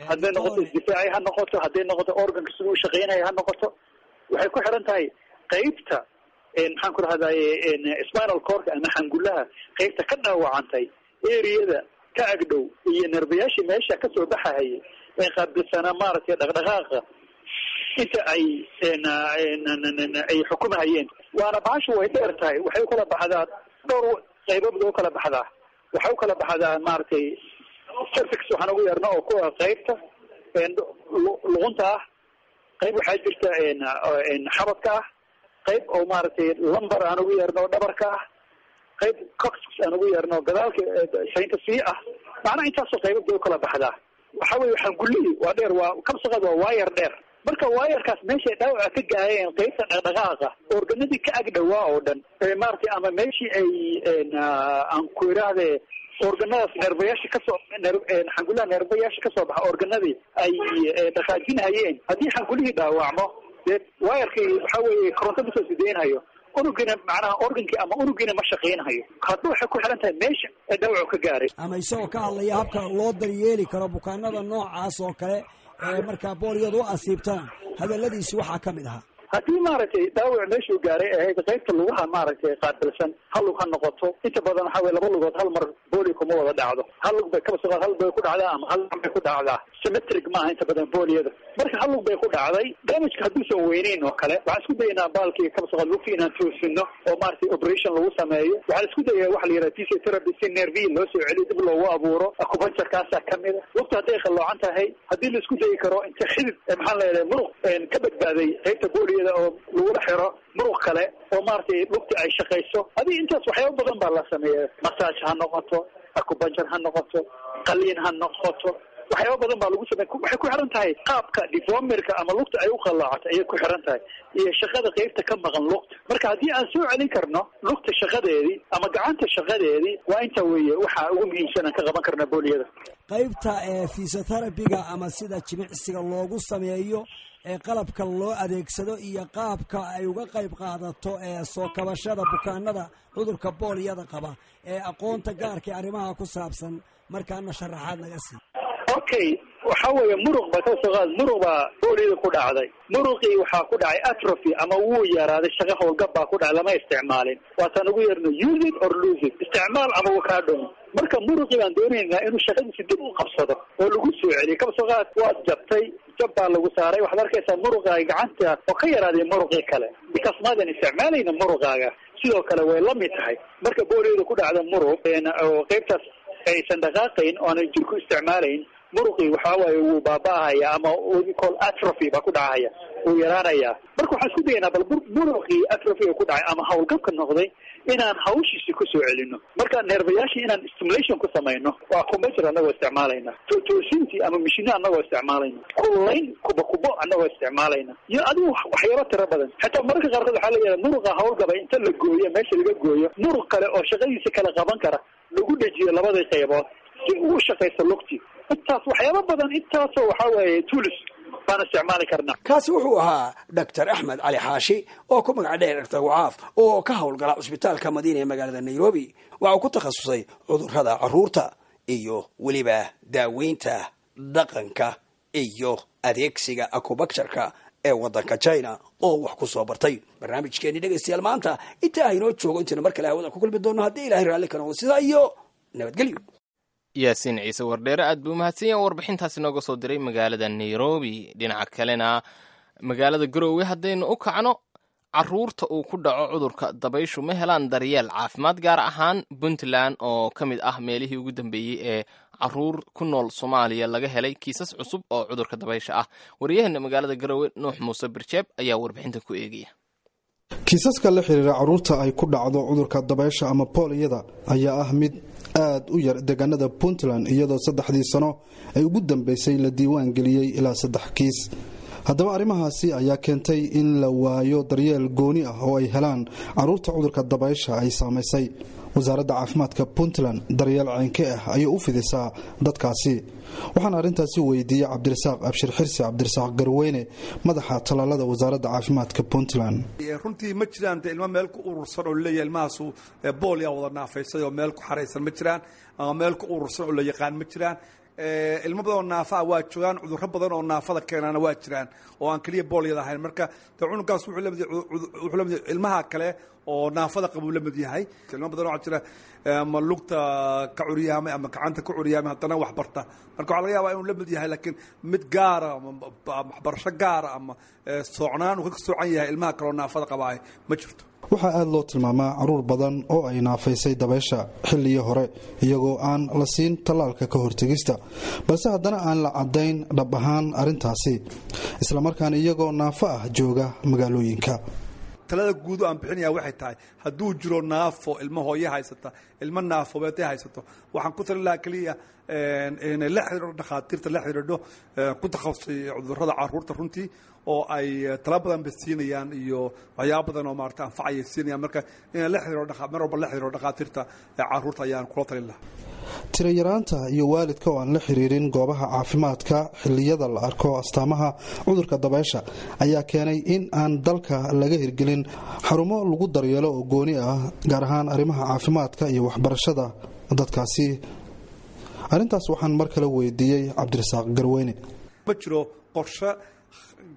Hadday noqoto isdifaaci ha noqoto, hadday noqoto organka siduu u shaqeynaya ha noqoto, waxay ku xiran tahay qeybta, maxaan ku rahdaye, spinal cordka ama xangulaha qeybta ka dhaawacantay, areada ka agdhow iyo nerbayaashii meesha kasoo baxahayay ee qaabilsanaa maaragtay dhaqdhaqaaqa inta ay xukumahayeen. Waana bahashu way dheer tahay, waxay u kala baxdaa dhowr qaybood u kala baxdaa. Waxay u kala baxdaa maaragtay cervix waxaan ugu yeerno oo kuwa qaybta luqunta ah, qayb waxaa jirta xabadka ah, qayb oo maaragtay lumbar aan ugu yeerno oo dhabarka ah, qayb coxis aan ugu yeerno gadaalka saynta sii ah. Macnaha intaasoo qaybood bay u kala baxdaa. Waxa weye xangullihii waa dheer, waa kabsaqad, waa waayar dheer. Marka waayarkaas meeshay dhaawaca ka gaareen qaybta dhaqdhaqaaqa, organadii ka ag dhawaa oo dhan maaragtay, ama meeshii ay aan ku idhaahde organadaas neerbayaasha kasoo xangullaha neerbayaasha kasoo baxa organadii ay dhaqaajinhayeen, haddii xangulihii dhaawacmo, dee waayarkii waxa weeye koronto masoo sideynhayo unugiina, macnaha organkii ama unugiina ma shaqaynhayo. Hadba waxay ku xiran tahay meesha ee dhaawacu ka gaaray. Ama isagoo ka hadlaya habka loo daryeeli karo bukaanada noocaas oo kale ee markaa booliyadu u asiibtana, hadaladiisi waxaa ka mid ahaa: Haddii maaragtay dhaawac meeshuu gaaray ahayd qaybta lugaha maaragtay qaabilsan, hal lug ha noqoto. Inta badan waxaa weye laba lugood hal mar booli kuma wada dhacdo. Hal lug bay kaba soqo, hal bay ku dhacdaa ama hal bay ku dhacdaa. Symmetric maaha inta badan booliyada. Marka hal lug bay ku dhacday, damageka hadduusan weyneyn oo kale, waxaan isku dayaynaa baalkii kaba soqo lugta inaan toosino oo maaragtay operation lagu sameeyo. Waxaan isku dayaa waxa la yidhaha physiotherapy si nervihi loo soo celiyo, dib loogu abuuro. Acupuncture-kaasaa kamid a. Lugta hadday qalloocan tahay, haddii la isku dayi karo inta xidid, maxaan leedahay, muruq ka badbaaday qaybta booliyada oo lagula xiro muruq kale oo maaragtay lugta ay shaqayso. Adiga intaas waxyaaba badan baa la sameeya, massage ha noqoto, acupuncture ha noqoto, qaliin ha noqoto, waxyaaba badan baa lagu sameya. Waxay ku xiran tahay qaabka deformerka ama lugta ay u qallaacato ayay ku xiran tahay iyo shaqada qeybta ka maqan lugta. Marka haddii aan soo celin karno lugta shaqadeedii ama gacanta shaqadeedii, waa inta weeye waxaa ugu muhiimsan aan ka qaban karna booliyada. Qaybta ee fisoterabiga ama sida jimicsiga loogu sameeyo ee qalabka loo adeegsado iyo qaabka ay uga qayb qaadato ee soo kabashada bukaanada cudurka booliyada qaba ee aqoonta gaarka ee arrimaha ku saabsan, markaana sharaxaad naga sii. Okay, waxa weeye muruq ba kasoo qaad, muruq baa booliyada ku dhacday. Muruqii waxaa ku dhacay atrophy ama wuu yaraaday, shaqo howlgab baa ku dhacay, lama isticmaalin. Waataan ugu yeerno use it or lose it, isticmaal ama wuu kaa dhumo. Marka muruqii baan doonaynaa inuu shaqadiisi dib u qabsado oo lagu soo celiyo. Kasoo qaad waad jabtay, jab baa lagu saaray, waxaad arkaysaa muruqaaga gacanta oo ka yaraaday muruqii kale, because maadan isticmaalayna muruqaaga. Sidoo kale way la mid tahay marka booliyada ku dhacda muruq oo qaybtaas aysan dhaqaaqayn oo aanay jirku isticmaalayn, muruqii waxaa waaye wuu baaba'ahaya ama we call atrophy baa ku dhacaya, wuu yaraanayaa. Marka waxaan isku dayaynaa bal muruqii atrophy ku dhacay ama howlgabka noqday inaan hawshiisi kusoo celino. Marka neerbayaashii inaan stimulation ku samayno waa computer annagoo isticmaalayna, toosintii ama mishino annagoo isticmaalayna, kululayn kuba kubo annagoo isticmaalayna, iyo adigu waxyaabo tiro badan. Xitaa mararka qaarkood waxaa la yidhaha muruqa howlgaba inta la gooyo, meesha laga gooyo, muruq kale oo shaqadiisa kala qaban kara lagu dhejiyo labadii qaybood si uu u shaqaysto lugti. Intaas waxyaabo badan, intaasoo waxaa weeye tools baan isticmaali karnaa. Kaasi wuxuu ahaa Doctor Axmed Cali Xaashi oo ku magac dheer Doctor Wacaaf oo ka howlgala cusbitaalka Madiina ee magaalada Nairobi. Waxa uu ku takhasusay cudurrada carruurta iyo weliba daaweynta dhaqanka iyo adeegsiga acupuncture-ka ee waddanka China oo wax ku soo bartay. Barnaamijkeenii, dhegaystayaal, maanta intaa haynoo joogo. Intaynu mar kale hawada ku kulmi doono, haddii Ilahay raalli ka noqdo, sidaa iyo nabadgelyo. Yaasiin Ciise Wardheere aad buu umahadsan yahay warbixintaasi nooga soo diray magaalada Nairobi. Dhinaca kalena, magaalada Garoowe haddaynu u kacno, caruurta uu ku dhaco cudurka dabayshu ma helaan daryeel caafimaad, gaar ahaan Puntland oo ka mid ah meelihii ugu dambeeyey ee caruur ku nool Soomaaliya laga helay kiisas cusub oo cudurka dabaysha ah. Waryaheena magaalada Garoowe, Nuux Muuse Birjeeb, ayaa warbixinta ku eegaya. Kiisaska la xiriira carruurta ay ku dhacdo cudurka dabaysha ama booliyada ayaa ah mid aad u yar deegaanada Puntland, iyadoo 3dii sano ay ugu dambeysay la diiwaan geliyey ilaa saddex kiis. Haddaba arrimahaasi ayaa keentay in la waayo daryeel gooni ah oo ay helaan carruurta cudurka dabaysha ay saamaysay. Wasaaradda caafimaadka Puntland daryeel ceynke ah ayay u fidisaa dadkaasi? Waxaana arrintaasi weydiiyey Cabdirasaaq Abshir Xirsi, Cabdirasaaq Garweyne, madaxa tallaalada wasaaradda caafimaadka Puntland. Runtii ma jiraan dee ilmo meel ku urursan oo leeyahay ilmahaasu boolyaa wada naafaysay oo meel ku xaraysan ma jiraan, ama meel ku urursan oo la yaqaan ma jiraan. Ilmo badan oo naafa ah waa joogaan, cudurro badan oo naafada keenaana waa jiraan oo aan keliya boolyada ahayn. Marka dee cunugaas wuxuu la mid yahay ilmaha kale oo naafada qabuu la mid yahay. Ilmo badan oo jira ama lugta ka curyaamay ama gacanta ka curyaamay, haddana wax barta. Marka waxaa laga yaabaa inuu la mid yahay, laakiin mid gaara ama waxbarasho gaara ama soocnaan uu ka soocan yahay ilmaha kale oo naafada qabaay ma jirto. Waxaa aada loo tilmaamaa caruur badan oo ay naafaysay dabaysha xilligii hore iyagoo aan la siin tallaalka ka hortegista, balse haddana aan la caddayn dhab ahaan arrintaasi, islamarkaana iyagoo naafo ah jooga magaalooyinka. Talada guud oo aan bixinaya waxay tahay, hadduu jiro naafo, ilmo hooye haysata, ilmo naafobeetay haysato, waxaan ku talin lahaa keliya inay la xidhiidho dhakhaatiirta, la xidhiidho ku takhasusay cudurrada carruurta runtii, oo ay tala badan ba siinayaan iyo waxyaaba badan oo maarata anfacayay siinayaan. Marka inay la xidhiidho, mar walba la xidhiidho dhakhaatiirta carruurta ayaan kula talin lahaa. Tirayaraanta iyo waalidka oo aan la xiriirin goobaha caafimaadka xilliyada la arko astaamaha cudurka dabaysha ayaa keenay in aan dalka laga hirgelin xarumo lagu daryeelo oo gooni ah, gaar ahaan arrimaha caafimaadka iyo waxbarashada dadkaasi. Arrintaas waxaan mar kale weydiiyey Cabdirasaaq Garweyne. Ma jiro qorshe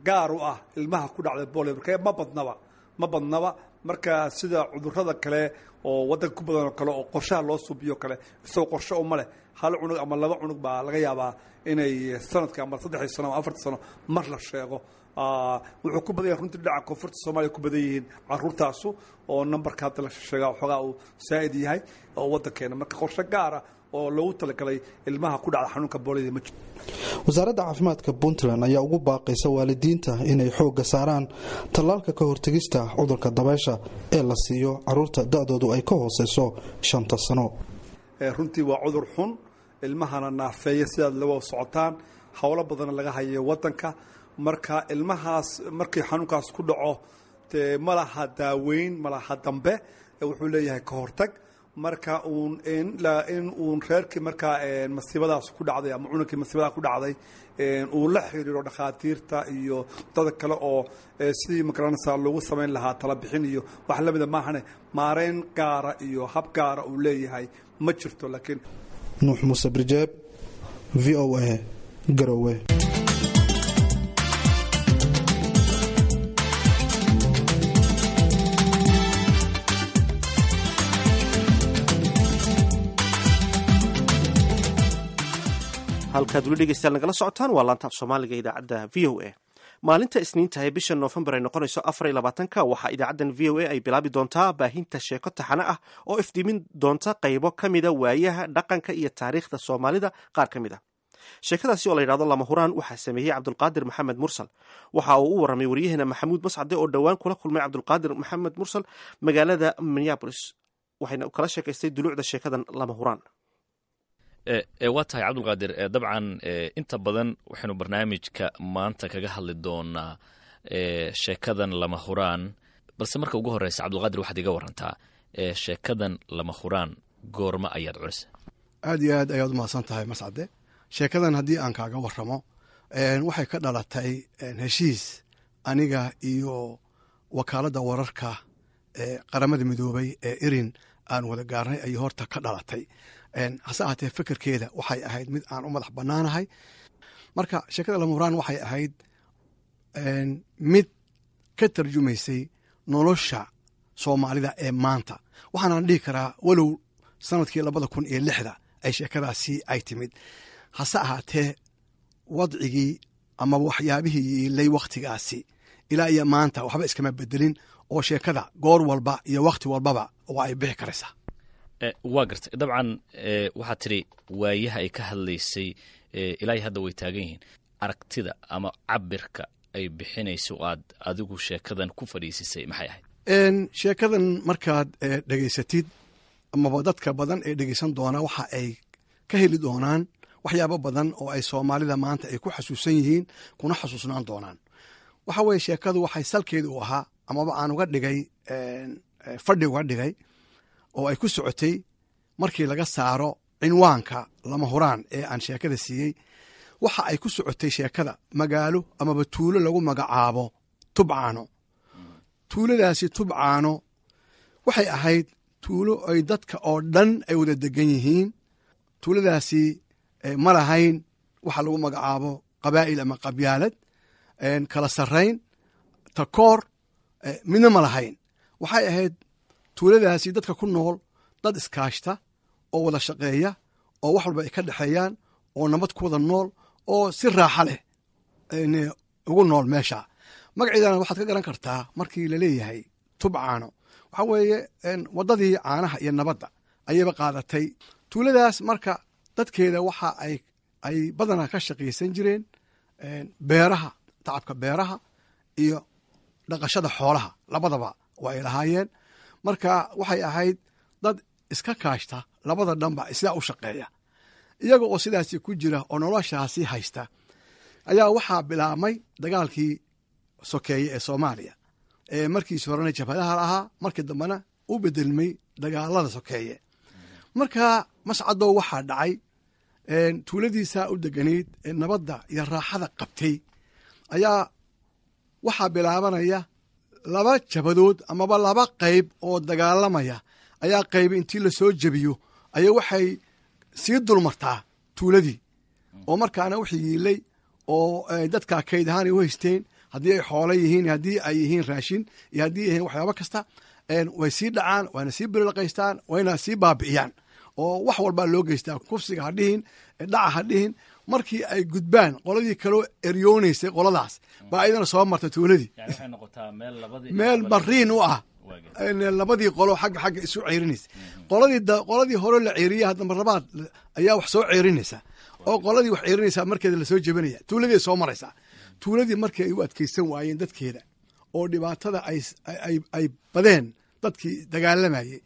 gaar u ah ilmaha ku dhacday bolio, marka ma badnaba, ma badnaba. Marka sida cudurrada kale oo waddanka ku badan oo kale oo qorshaha loo suubiyo kale, isagoo qorshe uma leh. Hal cunug ama laba cunug baa laga yaabaa inay sanadka ama 3dii sano ama 4tii sano mar la sheego. Wuxuu ku badan yahay runtii dhinaca koonfurta Soomaaliya ku badan yihiin caruurtaasu, oo nambarka hadda la sheegaa waxoogaa uu saa'id yahay oo waddankeena. Marka qorshe gaara oo loogu talagalay ilmaha ku dhacda xanuunka boolida ma jiro. Wasaaradda caafimaadka Puntland ayaa ugu baaqaysa waalidiinta inay xoogga saaraan tallaalka ka hortegista cudurka dabaysha ee la siiyo caruurta da'doodu ay ka hooseyso 5ta sano. Runtii waa cudur xun, ilmahana naafeeya, sidaad la socotaan howlo badanna laga hayo waddanka. Marka ilmahaas markii xanuunkaas ku dhaco, dee ma laha daaweyn, ma laha dambe, wuxuu leeyahay ka hortag. Marka uun in uun reerkii markaa masiibadaas ku dhacday ama cununkii masiibadaas ku dhacday uu la xiriiro dhakhaatiirta iyo dad kale oo sidii magaranaysaa loogu samayn lahaa tala bixin iyo wax lamida maahane, maareyn gaara iyo hab gaara uu leeyahay ma jirto, laakiin Nuux Muuse Birjeeb, VOA. Garowe. Halkaad weli dhegeystayaal nagala socotaan waa laanta af Soomaaliga idaacadda VOA. Maalinta Isniinta ee bisha Noofembar ay noqonayso 24-ka waxaa idaacaddan VOA ay bilaabi doontaa baahinta sheeko taxane ah oo ifdiimin doonta qaybo ka mida waayaha dhaqanka iyo taariikhda Soomaalida qaar ka mid ah. Sheekadaasi oo la yidhahdo Lama Huraan waxaa sameeyey Cabdulqaadir Maxamed Mursal. Waxa uu u warramay waryaheena Maxamuud Mascade oo dhowaan kula kulmay Cabdulqaadir Maxamed Mursal magaalada Minneapolis, waxayna kala sheekaystay duluucda sheekadan Lama Huraan. Waa tahay Cabdulqaadir, dabcan inta badan waxaynu barnaamijka maanta kaga hadli doonaa sheekadan Lama Huraan, balse marka ugu horeysa Cabdulqaadir, waxaad iga warantaa sheekadan Lama Huraan goorma ayaad culisa? Aad iyo aad ayaad umahadsan tahay, Mascade. Sheekadan haddii aan kaaga waramo, waxay ka dhalatay heshiis aniga iyo wakaaladda wararka ee Qaramada Midoobay ee IRIN aan wada gaarnay ayay horta ka dhalatay. Hase ahaatee, fikirkeeda waxay ahayd mid aan u madax bannaanahay. Marka sheekada Lama Huraan waxay ahayd mid ka tarjumaysay nolosha Soomaalida ee maanta. Waxaanaan dhihi karaa, walow sanadkii 2006-da ay sheekadaasi ay timid, hase ahaatee wadcigii ama waxyaabihii yiilay wakhtigaasi ilaa iyo maanta waxba iskama bedelin, oo sheekada goor walba iyo wakhti walbaba waa ay bixi karaysaa. Waa gartay. Dabcan waxaad tidhi waayaha ay ka hadlaysay ilaa hadda way taagan yihiin. Aragtida ama cabirka ay bixinayso aad adigu sheekadan ku fadhiisisay maxay ahayd? Sheekadan markaad dhegaysatid amaba dadka badan ee dhegeysan doona, waxa ay ka heli doonaan waxyaabo badan oo ay Soomaalida maanta ay ku xasuusan yihiin kuna xasuusnaan doonaan. Waxa weye, sheekadu waxay salkeeda u ahaa amaba aan uga dhigay fadhi uga dhigay oo ay ku socotay, markii laga saaro cinwaanka Lama Huraan ee aan sheekada siiyey, waxa ay ku socotay sheekada magaalo amaba tuulo lagu magacaabo Tubcaano. Tuuladaasi Tubcaano waxay ahayd tuulo ay dadka oo dhan ay wada degan yihiin. Tuuladaasi ma lahayn waxa lagu magacaabo qabaa'il ama qabyaalad, kala sarrayn, takoor, midna ma lahayn. Waxay ahayd tuuladaasi dadka ku nool dad iskaashta oo wada shaqeeya oo wax walba ay ka dhexeeyaan oo nabad ku wada nool oo si raaxa leh ugu nool meesha. Magaceedana waxaad ka garan kartaa markii laleeyahay Tubcaano, waxaa weeye waddadii caanaha iyo nabadda ayayba qaadatay tuuladaas. Marka dadkeeda waxa ay badanaa ka shaqaysan jireen beeraha, tacabka beeraha iyo dhaqashada xoolaha, labadaba waa ay lahaayeen. Marka waxay ahayd dad iska kaashta, labada dhanba sidaa u shaqeeya. Iyaga oo sidaasi ku jira oo noloshaasi haysta ayaa waxaa bilaabmay dagaalkii sokeeye ee Soomaaliya, ee markiis horena jabhadaha lahaa, markii dambena u bedelmay dagaalada sokeeye. Marka Mascadow, waxaa dhacay tuuladiisaa u deganayd ee nabadda iyo raaxada qabtay ayaa waxaa bilaabanaya laba jabadood amaba laba qayb oo dagaalamaya ayaa qayb intii lasoo jebiyo ayaa waxay sii dulmartaa tuuladii, oo markaana wixii yiilay oo dadka kayd ahaan ay u haysteen, haddii ay xoolo yihiin, haddii ay yihiin raashin iyo haddii yihiin waxyaabo kasta, way sii dhacaan, wayna sii birilaqaystaan, wayna sii baabi'iyaan oo wax walbaa loo geystaa, kufsiga ha dhihin, dhaca ha dhihin. Markii ay gudbaan, qoladii kaloo eryoonaysay qoladaas baa ayadana soo marta tuuladii, meel mariin u ah labadii qolo xagga xagga isu ceerinaysa. Qoladii hore la ceeriyey hadda mar labaad ayaa wax soo ceerinaysa, oo qoladii wax ceerinaysa markeeda lasoo jebinaya tuuladii soo maraysaa. Tuuladii markii ay u adkaysan waayeen dadkeeda oo dhibaatada ay badeen dadkii dagaalamayey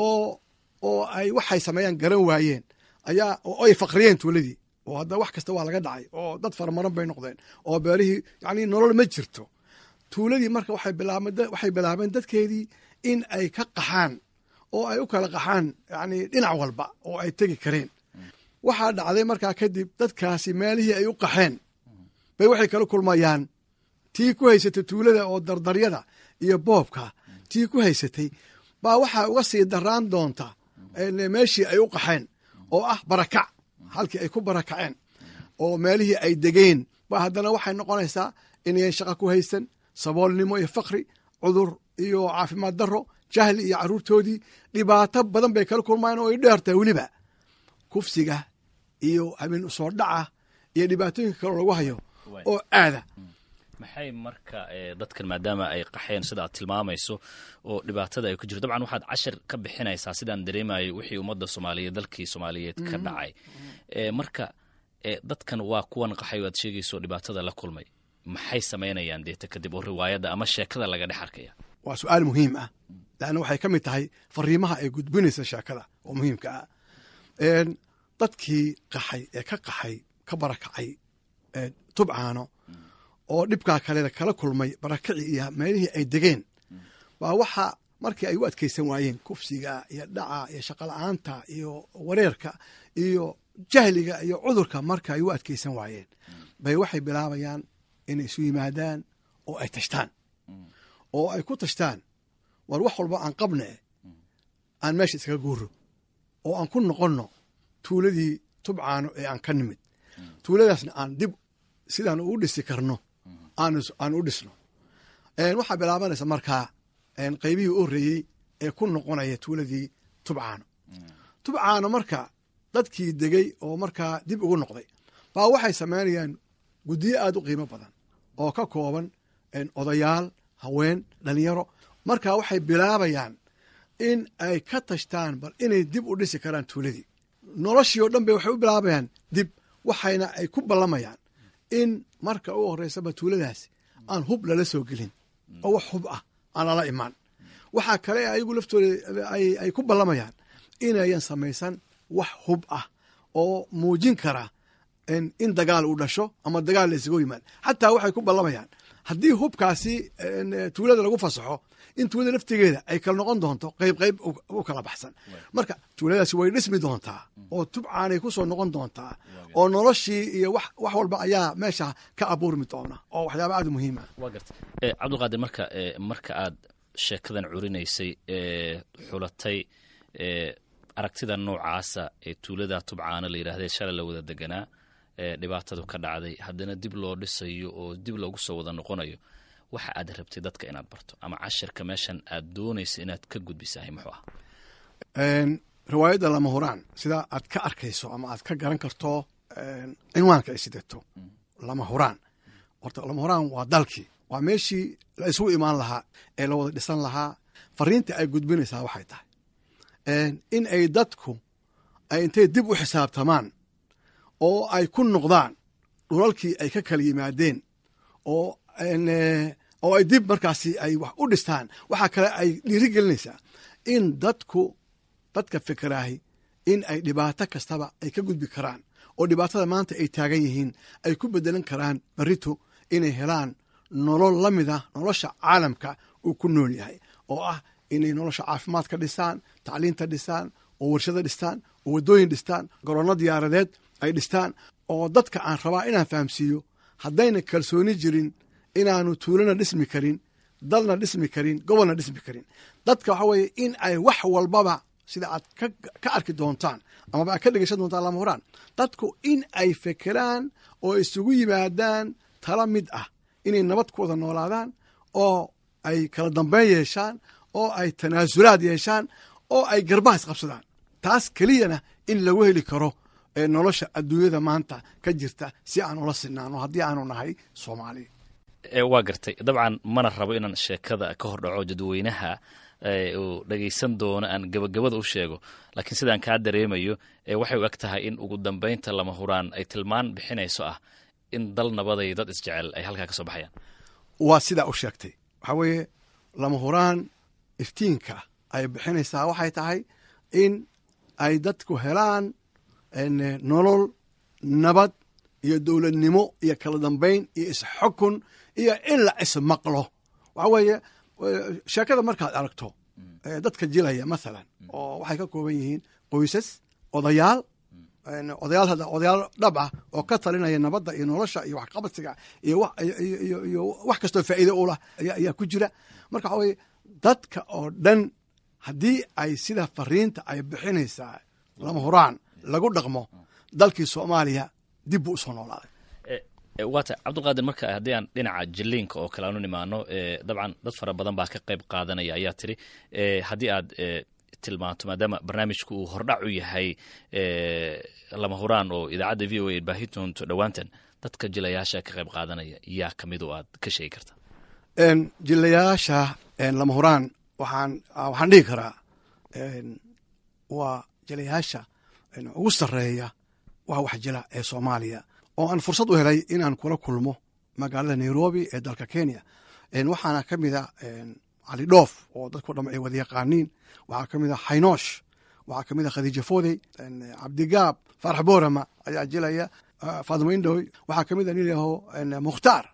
oo ay waxay sameeyaan garan waayeen ayaa oo ay faqriyeen tuuladii, oo hadda wax kasta waa laga dhacay oo dad faramaran bay noqdeen oo beerihii, yacni nolol ma jirto tuuladii. Marka waxay bilaabeen dadkeedii in ay ka qaxaan oo ay u kala qaxaan, yacni dhinac walba oo ay tegi kareen. Waxaa dhacday markaa kadib dadkaasi meelihii ay u qaxeen bay waxay kala kulmayaan tii ku haysatay tuulada oo dardaryada iyo boobka tii ku haysatay baa waxaa uga sii daraan doonta meeshii ay u qaxeen oo ah barakac, halkii ay ku barakaceen. oo meelihii ay degeen ba haddana waxay noqonaysaa inayan shaqa ku haysan, saboolnimo iyo fakri, cudur iyo caafimaad darro, jahli iyo caruurtoodii dhibaato badan bay kala kulmayaan oo ay dheertahay weliba kufsiga iyo habeen usoo dhaca iyo dhibaatooyinka kaloo lagu hayo oo aada. Maxay marka dadkan maadaama ay qaxeen sida aad tilmaamayso oo dhibaatada ay ku jirto, dabcan waxaad cashar ka bixinaysaa sidaan dareemayo wixii ummadda Soomaaliyeed, dalkii Soomaaliyeed ka dhacay. Marka dadkan waa kuwan qaxay oo aad sheegayso dhibaatada la kulmay, maxay samaynayaan deeta kadib oo riwaayadda ama sheekada laga dhex arkaya? Waa su-aal muhiim ah, leanna waxay ka mid tahay fariimaha ay gudbinaysa sheekada oo muhiimka ah. Dadkii qaxay ee ka qaxay, ka barakacay Tubcaano oo dhibkaa kale kala kulmay barakaci iyo meelihii ay degeen, baa waxa markii ay u adkaysan waayeen kufsiga iyo dhaca iyo shaqola'aanta iyo wareerka iyo jahliga iyo cudurka, marka ay u adkaysan waayeen bay waxay bilaabayaan inay isu yimaadaan oo ay tashtaan oo ay ku tashtaan, war wax walba aan qabne, aan meesha iskaga guuro oo aan ku noqonno tuuladii Tubcaano ee aan ka nimid, tuuladaasna aan dib sidaan u dhisi karno aan u dhisno. Waxaa bilaabanaysa markaa qaybihii u horreeyey ee ku noqonaya tuuladii Tubcaano. Tubcaano marka dadkii degey oo markaa dib ugu noqday baa waxay samaynayaan guddiyo aad u qiimo badan oo ka kooban odayaal, haween, dhalinyaro. Marka waxay bilaabayaan in ay ka tashtaan bal inay dib u dhisi karaan tuuladii. Noloshii oo dhan bay waxay u bilaabayaan dib, waxayna ay ku ballamayaan in marka u horreysaba tuuladaasi aan hub lala soo gelin oo wax hub ah aan lala imaan. Waxaa kale ayagu laftooda ay ku ballamayaan inayan samaysan wax hub ah oo muujin kara in dagaal uu dhasho ama dagaal la isugu yimaado. Xataa waxay ku ballamayaan haddii hubkaasi tuulada lagu fasaxo in tuulada laftigeeda ay kala noqon doonto qayb qayb u kala baxsan. Marka tuuladaasi way dhismi doontaa oo Tubcaanay ku soo noqon doontaa oo noloshii iyo wax walba ayaa meesha ka abuurmi doona oo waxyaaba aad u muhiim ah. Waa garta, Cabdulqaadir. Marka aad sheekadan curinaysay, xulatay aragtida noocaasa ee tuulada Tubcaana la yidhahdee shalay la wada deganaa, dhibaatadu ka dhacday, haddana dib loo dhisayo oo dib loogu soo wada noqonayo, waxa aad rabtay dadka inaad barto ama cashirka meeshan aad doonaysa inaad ka gudbisahay muxuu ah? Riwaayadda Lama Huraan, sida aad ka arkayso ama aad ka garan karto cinwaanka ay sidato, Lama Huraan, horta lama huraan waa dalkii, waa meeshii la isugu imaan lahaa ee la wada dhisan lahaa. Fariinta ay gudbinaysaa waxay tahay in ay dadku ay intay dib u xisaabtamaan oo ay ku noqdaan dhulalkii ay ka kala yimaadeen oo ay dib markaasi ay wax u dhistaan. Waxaa kale ay dhiirigelinaysaa in dadku, dadka fikiraahi, in ay dhibaato kastaba ay ka gudbi karaan oo dhibaatada maanta ay taagan yihiin ay ku bedelan karaan berrito inay helaan nolol la mid ah nolosha caalamka uu ku nool yahay, oo ah inay nolosha caafimaadka dhisaan, tacliinta dhisaan, oo warshado dhistaan, oo waddooyin dhistaan, garoonno diyaaradeed ay dhistaan. Oo dadka aan rabaa inaan fahamsiiyo haddayna kalsooni jirin inaanu tuulana dhismi karin, dalna dhismi karin, gobolna dhismi karin. Dadka waxa weeye in ay wax walbaba, sida aad ka arki doontaan amaba aad ka dhegeysan doontaan Lama Huraan, dadku in ay fekeraan oo isugu yimaadaan tala mid ah, inay nabad ku wada noolaadaan oo ay kala dambeyn yeeshaan oo ay tanaasulaad yeeshaan oo ay garbaha isqabsadaan. Taas keliyana in lagu heli karo ee nolosha adduunyada maanta ka jirta si aan ula sinaano haddii aanu nahay Soomaali. Waa gartay. Dabcan mana rabo inaan sheekada ka hor dhaco, dadweynaha uu dhagaysan doono aan gabagabada u sheego, laakiin sidaan kaa dareemayo waxay u eg tahay in ugu dambaynta Lama Huraan ay tilmaan bixinayso ah in dal nabaday, dad isjecel ay halkaa ka soo baxayaan. Waa sidaa u sheegtay. Waxaa weeye Lama Huraan iftiinka ay bixinaysaa waxay tahay in ay dadku helaan nolol nabad iyo dowladnimo iyo kala dambayn iyo isxukun iyo in la ismaqlo. Waxaa weeye sheekada markaad aragto dadka jilaya mathalan oo waxay ka kooban yihiin qoysas, odayaal, odayaal hadda odayaal dhab ah oo ka talinaya nabadda iyo nolosha iyo waxqabadsiga iyo wax kastoo faa'iido u lah ayaa ku jira. Marka waxa weye dadka oo dhan haddii ay sida fariinta ay bixinaysaa Lama Huraan lagu dhaqmo, dalkii Soomaaliya Dib buu usoo noolaaday. Waata Cabdulqaadir, marka haddii aan dhinaca jilliinka oo kale aanu nimaano, dabcan dad fara badan baa ka qayb qaadanaya ayaa tiri. Haddii aad tilmaanto, maadaama barnaamijku uu hordhac u yahay Lama Huraan oo idaacadda VOA baahi doonto dhowaantan, dadka jilayaasha ka qayb qaadanaya yaa ka mid oo aad ka sheegi karta? Jilayaasha Lama Huraan waxaan dhihi karaa waa jilayaasha ugu sarreeya wax jila ee Soomaaliya, oo aan fursad u helay inaan kula kulmo magaalada Nairobi ee dalka Kenya. Waxaana ka mid a Cali Dhoof oo dadku dham ay wada yaqaaniin, waxaa ka mid a Xaynoosh, waxaa ka mid a Khadiija Foodey, Cabdigaab Faarax Boorama ayaa jilaya, Faadimo Indhoy, waxaa ka mid a nin yaho Mukhtaar.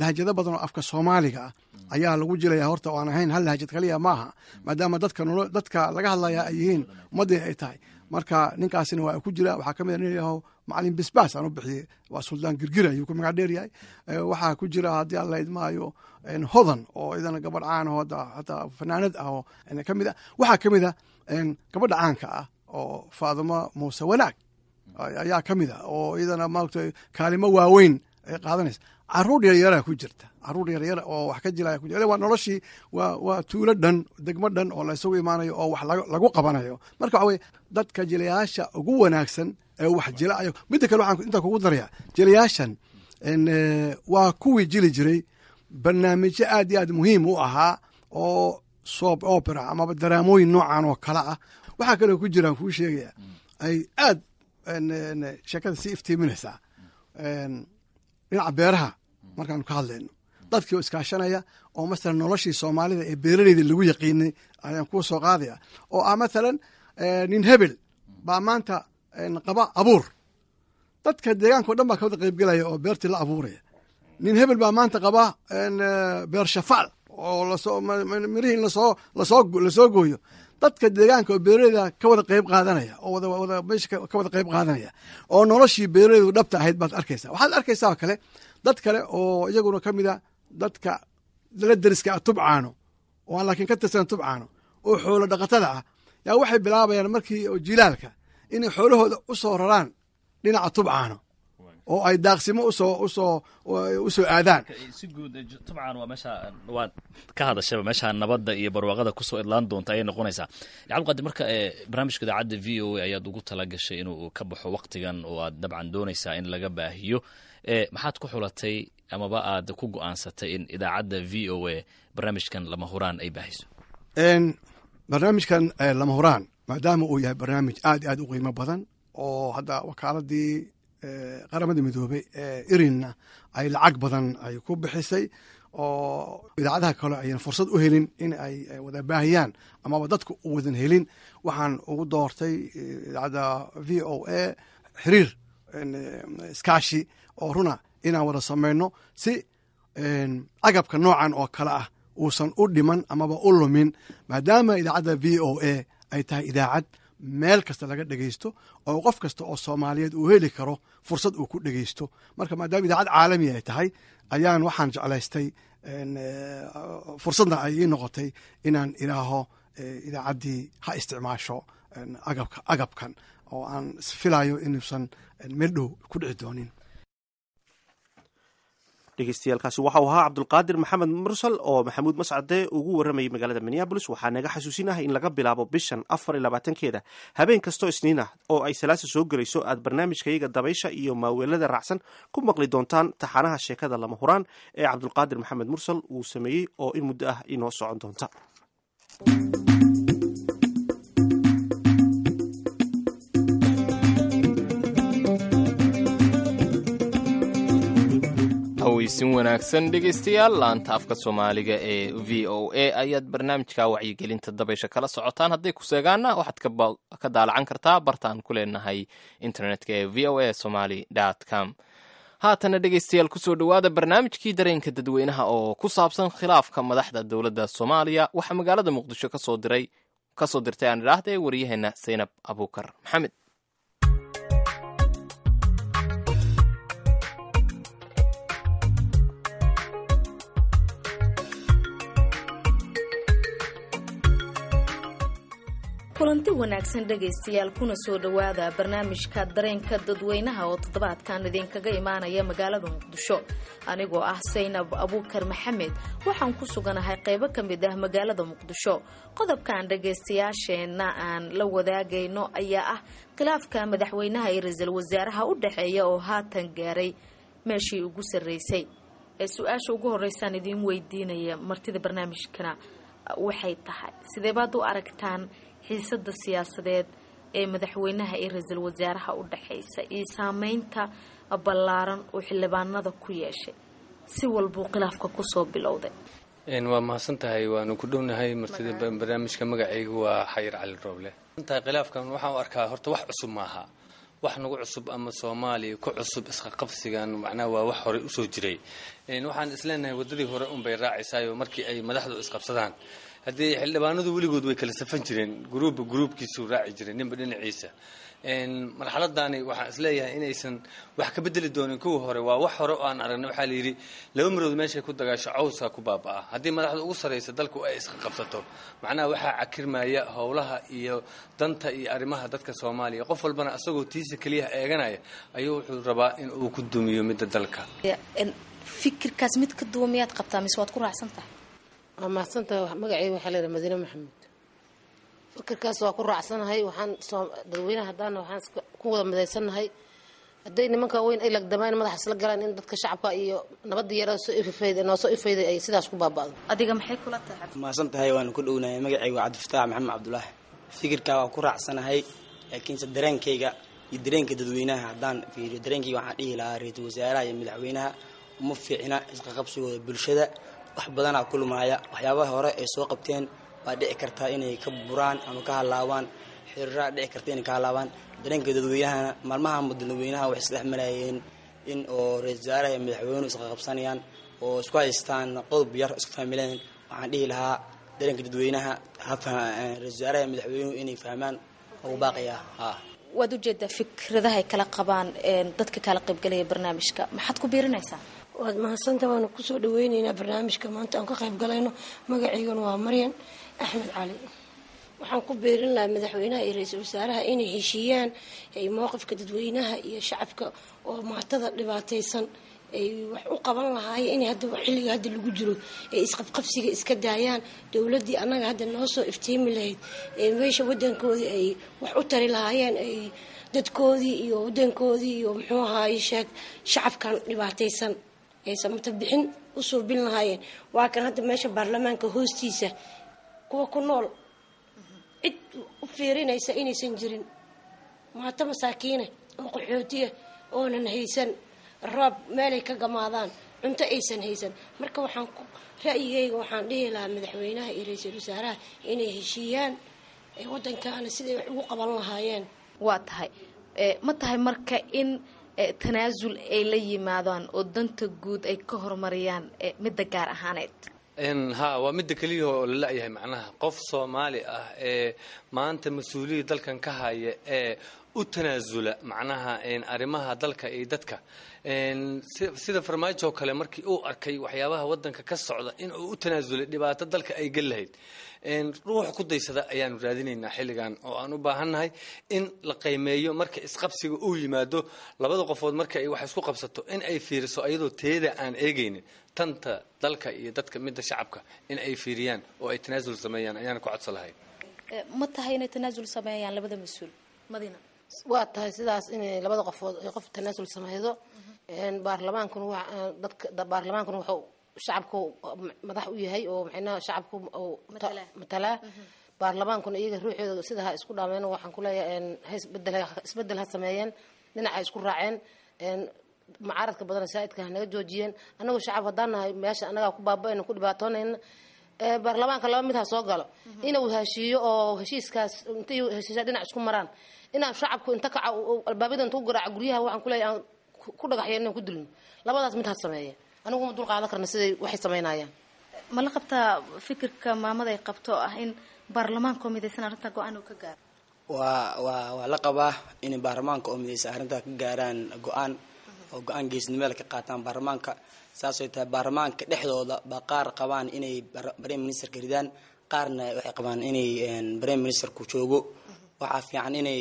Lahajado badan oo afka Soomaaliga ah ayaa lagu jilaya horta, oo aan ahayn hal lahajad kaliya maaha, maadaama dadka laga hadlaya ay yihiin ummaddii ay tahay. Marka ninkaasina waa ku jira. Waxaa ka mid a nin yaho Macalin Bisbaas aan u bixiyey, waa Suldaan Girgir ayuu ku magac dheer yahay. Waxaa ku jira, haddii Alla idmaayo, Hodan oo idana gabadh caan oo hataa fanaanad ah oo ka mid ah. Waxaa ka mid a gabadha caanka ah oo Faadimo Muuse Wanaag ayaa ka mid ah, oo iyadana maaragtay kaalimo waaweyn ay qaadanaysa. Caruur yaryara ku jirta, caruur yaryara oo wax ka jilaya ku jira. Waa noloshii, waa tuulo dhan, degmo dhan oo la isugu imaanayo oo wax lagu qabanayo. Marka waxa weye dadka jilayaasha ugu wanaagsan ee wax jila ayo. Midda kale waxaan intaa kugu daraya, jilayaashan waa kuwii jili jiray barnaamijyo aad iyo aad muhiim u ahaa oo soap opera amaba daraamooyin noocan oo kale ah. Waxaa kaloo ku jiraan kuu sheegaya ay aad sheekada sii iftiiminaysaa dhinaca beeraha markaanu ka hadlayno, dadkii oo iskaashanaya oo masalan noloshii Soomaalida ee beeraleyda lagu yaqiinay ayaan kuu soo qaadaya, oo ah masalan nin hebel baa maanta qaba abuur, dadka deegaanka o dhan baa ka wada qaybgelaya oo beertii la abuuraya. Nin hebel baa maanta qaba beer shafaal oo lasoo mirihii lasoo gooyo, dadka deegaanka oo beeraleyda ka wada qayb qaadanaya oo wada meesha ka wada qayb qaadanaya, oo noloshii beeraleydu dhabta ahayd baad arkaysaa. Waxaad arkaysaa oo kale dad kale oo iyaguna ka mid a dadka la deriska ah Tubcaano, oo aan laakiin ka tirsan Tubcaano, oo xoolo dhaqatada ah, yaa waxay bilaabayaan markii oo jilaalka inay xoolahooda u soo raraan dhinaca Tubcaano oo ay daaqsimo usoo aadaan. Si guud Tubcaan waa meesha waad ka hadashaba, meesha nabadda iyo barwaaqada kusoo idlaan doonta ayay noqonaysaa. Cabdiqaadir, marka barnaamijka idaacadda VOA ayaad ugu tala gashay inuu ka baxo waqtigan oo aad dabcan doonaysaa in laga baahiyo, maxaad ku xulatay amaba aad ku go'aansatay in idaacadda VOA barnaamijkan Lama Huraan ay baahiso? Barnaamijkan Lama Huraan, maadaama uu yahay barnaamij aad iyo aad u qiimo badan oo hadda wakaaladii Qaramada Midoobey ee irinna ay lacag badan ay ku bixisay, oo idaacadaha kale ayan fursad u helin in ay wada baahiyaan amaba dadku u wadan helin, waxaan ugu doortay idaacadda VOA xiriir iskaashi oo runa inaan wada samayno, si agabka noocan oo kale ah uusan u dhiman amaba u lumin, maadaama idaacadda VOA ay tahay idaacad meel kasta laga dhegeysto oo qof kasta oo Soomaaliyeed uu heli karo fursad uu ku dhegeysto. Marka maadaama idaacad caalami ay tahay ayaan waxaan jeclaystay, fursadna ay ii noqotay inaan idhaaho idaacaddii ha isticmaasho agabkan oo aan filayo inuusan meel dhow ku dhici doonin. Dhegeystayaaalkaasi waxau ahaa Cabdulqaadir Maxamed Mursal oo Maxamuud Mascade ugu warramayay magaalada Minneabolis. Waxaa naga xasuusinahay in laga bilaabo bishan 24-keeda habeen kastoo Isniin ah oo ay Salaasa soo gelayso aad barnaamijkayaga dabaysha iyo maaweelada raacsan ku maqli doontaan taxanaha sheekada Lama Huraan ee Cabdulqaadir Maxamed Mursal uu sameeyey oo in muddo ah inoo socon doonta. Haweysin wanaagsan dhegaystayaal, laanta afka Soomaaliga ee VOA ayaad barnaamijka wacyigelinta dabaysha kala socotaan. Hadday ku seegaanna waxaad ka daalacan kartaa bartaan ku leenahay internetka ee VOA Somali com. Haatana dhegaystayaal, kusoo dhowaada barnaamijkii dareenka dadweynaha oo ku saabsan khilaafka madaxda dowladda Soomaaliya. Waxaa magaalada Muqdisho kasoo dirtay aan idhaahday waryaheena Saynab Abuukar Maxamed. Kulanti wanaagsan dhegaystayaal, kuna soo dhowaada barnaamijka dareenka dadweynaha oo toddobaadkan idinkaga imaanaya magaalada Muqdisho. Anigoo ah Saynab Abuukar Maxamed, waxaan ku suganahay qaybo ka mid ah magaalada Muqdisho. Qodobkan dhegaystayaasheenna aan la wadaagayno ayaa ah khilaafka madaxweynaha iyo ra-iisul wasaaraha u dhexeeya oo haatan gaaray meeshii ugu sarreysay. Ee su-aasha ugu horeysaan idiin weydiinaya martida barnaamijkana waxay tahay, sidee baad u aragtaan xiisada siyaasadeed ee madaxweynaha iyo ra-iisul wasaaraha u dhexeysa iyo saameynta ballaaran oo xildhibaanada ku yeeshay si walbuu khilaafka kusoo bilowday? Waa mahadsan tahay, waanu ku dhownahay martida barnaamijka. Magacaygu waa Xayir Cali Rooble. Tahay khilaafkan waxaan u arkaa horta wax cusub maaha, wax nagu cusub ama Soomaaliya ku cusub. Isqaqabsigan macnaha waa wax horey usoo jiray. Waxaan isleenahay waddadii hore unbay raacaysaayo markii ay madaxdu isqabsadaan, haddii xildhibaanadu weligood way kala safan jireen, gruubba gruubkiisuu raaci jiray, ninba dhinaciisa. Marxaladani waxaan isleeyahay inaysan wax ka bedeli doonin kuwii hore. Waa wax hore oo aan aragnay. Waxaa la yidhi laba marood meeshay ku dagaasho cawska ku baaba'a. Haddii madaxda ugu sarraysa dalku ay isqa qabsato, macnaha waxaa cakirmaya howlaha iyo danta iyo arrimaha dadka Soomaaliya. Qof walbana asagoo tiisa keliyaha eeganaya ayuu wuxuu rabaa in uu ku dumiyo midda dalka. Fikirkaas mid ka duwan miyaad qabtaa mise waad ku raacsan tahay? Waa mahadsantahay. Magacayga waxaa la yidhaha Madiine Maxamuud. Fikirkaas waa ku raacsanahay. Waxaan dadweynaha haddaana waxaan ku wada midaysannahay, hadday nimanka weyn ay lagdamaan madaxa isla galaan, in dadka shacabka iyo nabadda yara soo ifafayda noo soo ifayday ay sidaas ku baaba'do. Adiga maxay kula tahay? Mahadsan tahay, waanu ku dhownahay. Magacaygu waa Cabdifataax Maxamed Cabdulaahi. Fikirkaa waa ku raacsanahay, laakiinse dareenkayga iyo dareenka dadweynaha haddaan fiiriyo, dareenkayga waxaan dhihi lahaa ra-iisul wasaaraha iyo madaxweynaha uma fiicna isqaqabsigooda. Bulshada wax badanaa ku lumaaya. Waxyaabaha hore ay soo qabteen waa dhici kartaa inay ka buraan ama ka halaabaan, xiriiraa dhici karta inay ka halaabaan. Dareenka dadweynahana maalmaha dadweynaha waxay isdhex marayeen in oo ra-isul wasaaraha iyo madaxweynuhu isqaqabsanayaan oo isku haystaan qodob yar isku fahmileen. Waxaan dhihi lahaa dareenka dadweynaha ra-isul wasaaraha iyo madaxweynuhu inay fahmaan ugu baaqaya ha. Waad ujeedaa fikradahay kala qabaan dadka kala qaybgalaya barnaamijka, maxaad ku biirinaysaa? Waad mahadsanta, waanu kusoo dhaweyneynaa barnaamijka maanta aan ka qayb galayno. Magacayguna waa Maryan Axmed Cali. Waxaan ku biirin lahaa madaxweynaha iyo ra-iisul wasaaraha inay heshiiyaan, ay mowqifka dadweynaha iyo shacabka oo maatada dhibaataysan ay wax u qaban lahaayeen inay hadda xilliga hadda lagu jiro ay isqabqabsiga iska daayaan. Dowladdii annaga hadda noo soo iftiimi lahayd ee meesha wadankoodii ay wax u tari lahaayeen, ay dadkoodii iyo wadankoodii iyo muxuu ahaaye sheeg shacabkan dhibaataysan aysan mutabixin u suubin lahaayeen, waa kan hadda meesha baarlamaanka hoostiisa kuwa ku nool cid u fiirinaysa inaysan jirin, maato masaakiina oo qaxootiya oonan haysan roob meelay ka gamaadaan, cunto aysan haysan. Marka waxaan ra'yigayga waxaan dhihi lahaa madaxweynaha iyo ra-iisul wasaaraha inay heshiiyaan wadankaana siday wax ugu qaban lahaayeen. Waa tahay, ma tahay marka in tanaasul ay la yimaadaan oo danta guud ay ka horumariyaan midda gaar ahaaneed? Ha, waa midda keliya oo la la-yahay. Macnaha qof Soomaali ah ee maanta mas-uuliyadda dalkan ka haya ee u tanaasula macnaha arrimaha dalka iyo dadka, sida Farmaajo oo kale markii uu arkay waxyaabaha wadanka ka socda in uu u tanaasulay dhibaato dalka ay geli lahayd, ruux ku daysada ayaanu raadinaynaa xilligan oo aan u baahannahay in la qiimeeyo. Marka isqabsiga uu yimaado labada qofood, marka ay wax isku qabsato, in ay fiiriso ayadoo teeda aan eegaynin tanta dalka iyo dadka, midda shacabka in ay fiiriyaan oo ay tanaasul sameeyaan ayaana ku codsan lahayn. Ma tahay inay tanaasul sameeyaan labada mas-uul, Madina? Waa tahay sidaas inay labada qofood ay qof tanaasul sameydo. Baarlamaankuna waa dadka, baarlamaankuna wuxuu shacabku madax u yahay oo maxaynaha shacabku matalaa. Baarlamaankuna iyaga ruuxooda sida ha isku dhaameen. Waxaan ku leeyahay ha isbedel, isbedel ha sameeyeen, dhinaca ha isku raaceen, mucaaradka badan saa'idka ha naga joojiyeen. Annagu shacab haddaan nahay meesha annagaa ku baaba'ayna, ku dhibaatoonayna. Baarlamaanka laba mid ha soo galo, inuu heshiiyo oo heshiiskaas intay heshiisyaa dhinac isku maraan, inaan shacabku inta kaca albaabada inta ku garaaca guryaha, waxaan ku leeyahay aan ku dhagaxyeeno, ku dilno. Labadaas mid ha sameeya. Anigu ma dul qaadan karna siday waxay samaynayaan. Ma la qabtaa fikirka maamada ay qabto ah in baarlamaanka oo midaysan arrinta go-aan uu ka gaaro? Waa la qabaa inay baarlamaanka oo midaysan arrintaa ka gaaraan go-aan oo go-aan geesnimada ka qaataan baarlamaanka. Saasay tahay baarlamaanka dhexdooda baa qaar qabaan inay prime ministerka ridaan, Qaarna waxay qabaan inay prime ministerku joogo. Waxaa fiican inay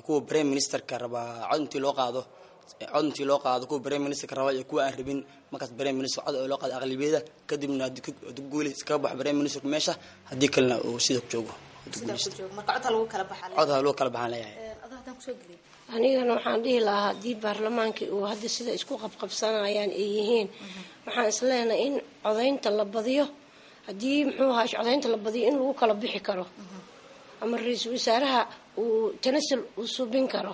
kuwa prime ministerka rabaa cod intii loo qaado, cod intii loo qaado kuwa prime ministerka raba iyo kuwa aan rabin markaas prime minister cod oo loo qaado aqlabiyada, kadibna haddii ku guuli iskaga baxo prime ministerku meesha, haddii kalena uu sida ku joogo. Cod ha lagu kala baxaan leeyahay. Anigana waxaan dhihi lahaa, haddii baarlamaankii uu hadda sida isku qabqabsanayaan ay yihiin, waxaan isleenahay in codaynta la badiyo. Haddii, muxuu ahaa, codaynta la badiyo, in lagu kala bixi karo ama ra-iisul wasaaraha uu tanasul uu subin karo,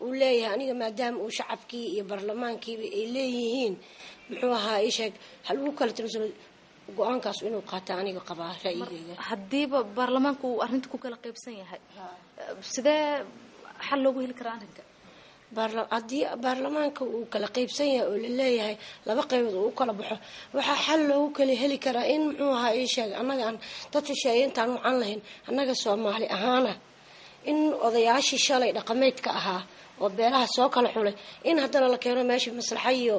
uu leeyahay aniga, maadaama uu shacabkii iyo baarlamaankiiba ay leeyihiin, muxuu ahaa, isheeg, ha lagu kala tanasulo, go-aankaas inuu qaata aniga qabaa ra'yigeyga. Haddiiba baarlamaanku uu arrinta ku kala qaybsan yahay, sidee xal loogu heli karaa arrinka? Haddii baarlamaanka uu kala qaybsan yahay oo laleeyahay laba qaybood uu u kala baxo, waxaa xal loogu kala heli karaa in, muxuu ahaa, ii sheeg, annaga aan dad shisheeye intaan wacan lahayn, annaga Soomaali ahaana, in odayaashii shalay dhaqameedka ahaa oo beelaha soo kala xulay in haddana la keeno meesha, maslaxa iyo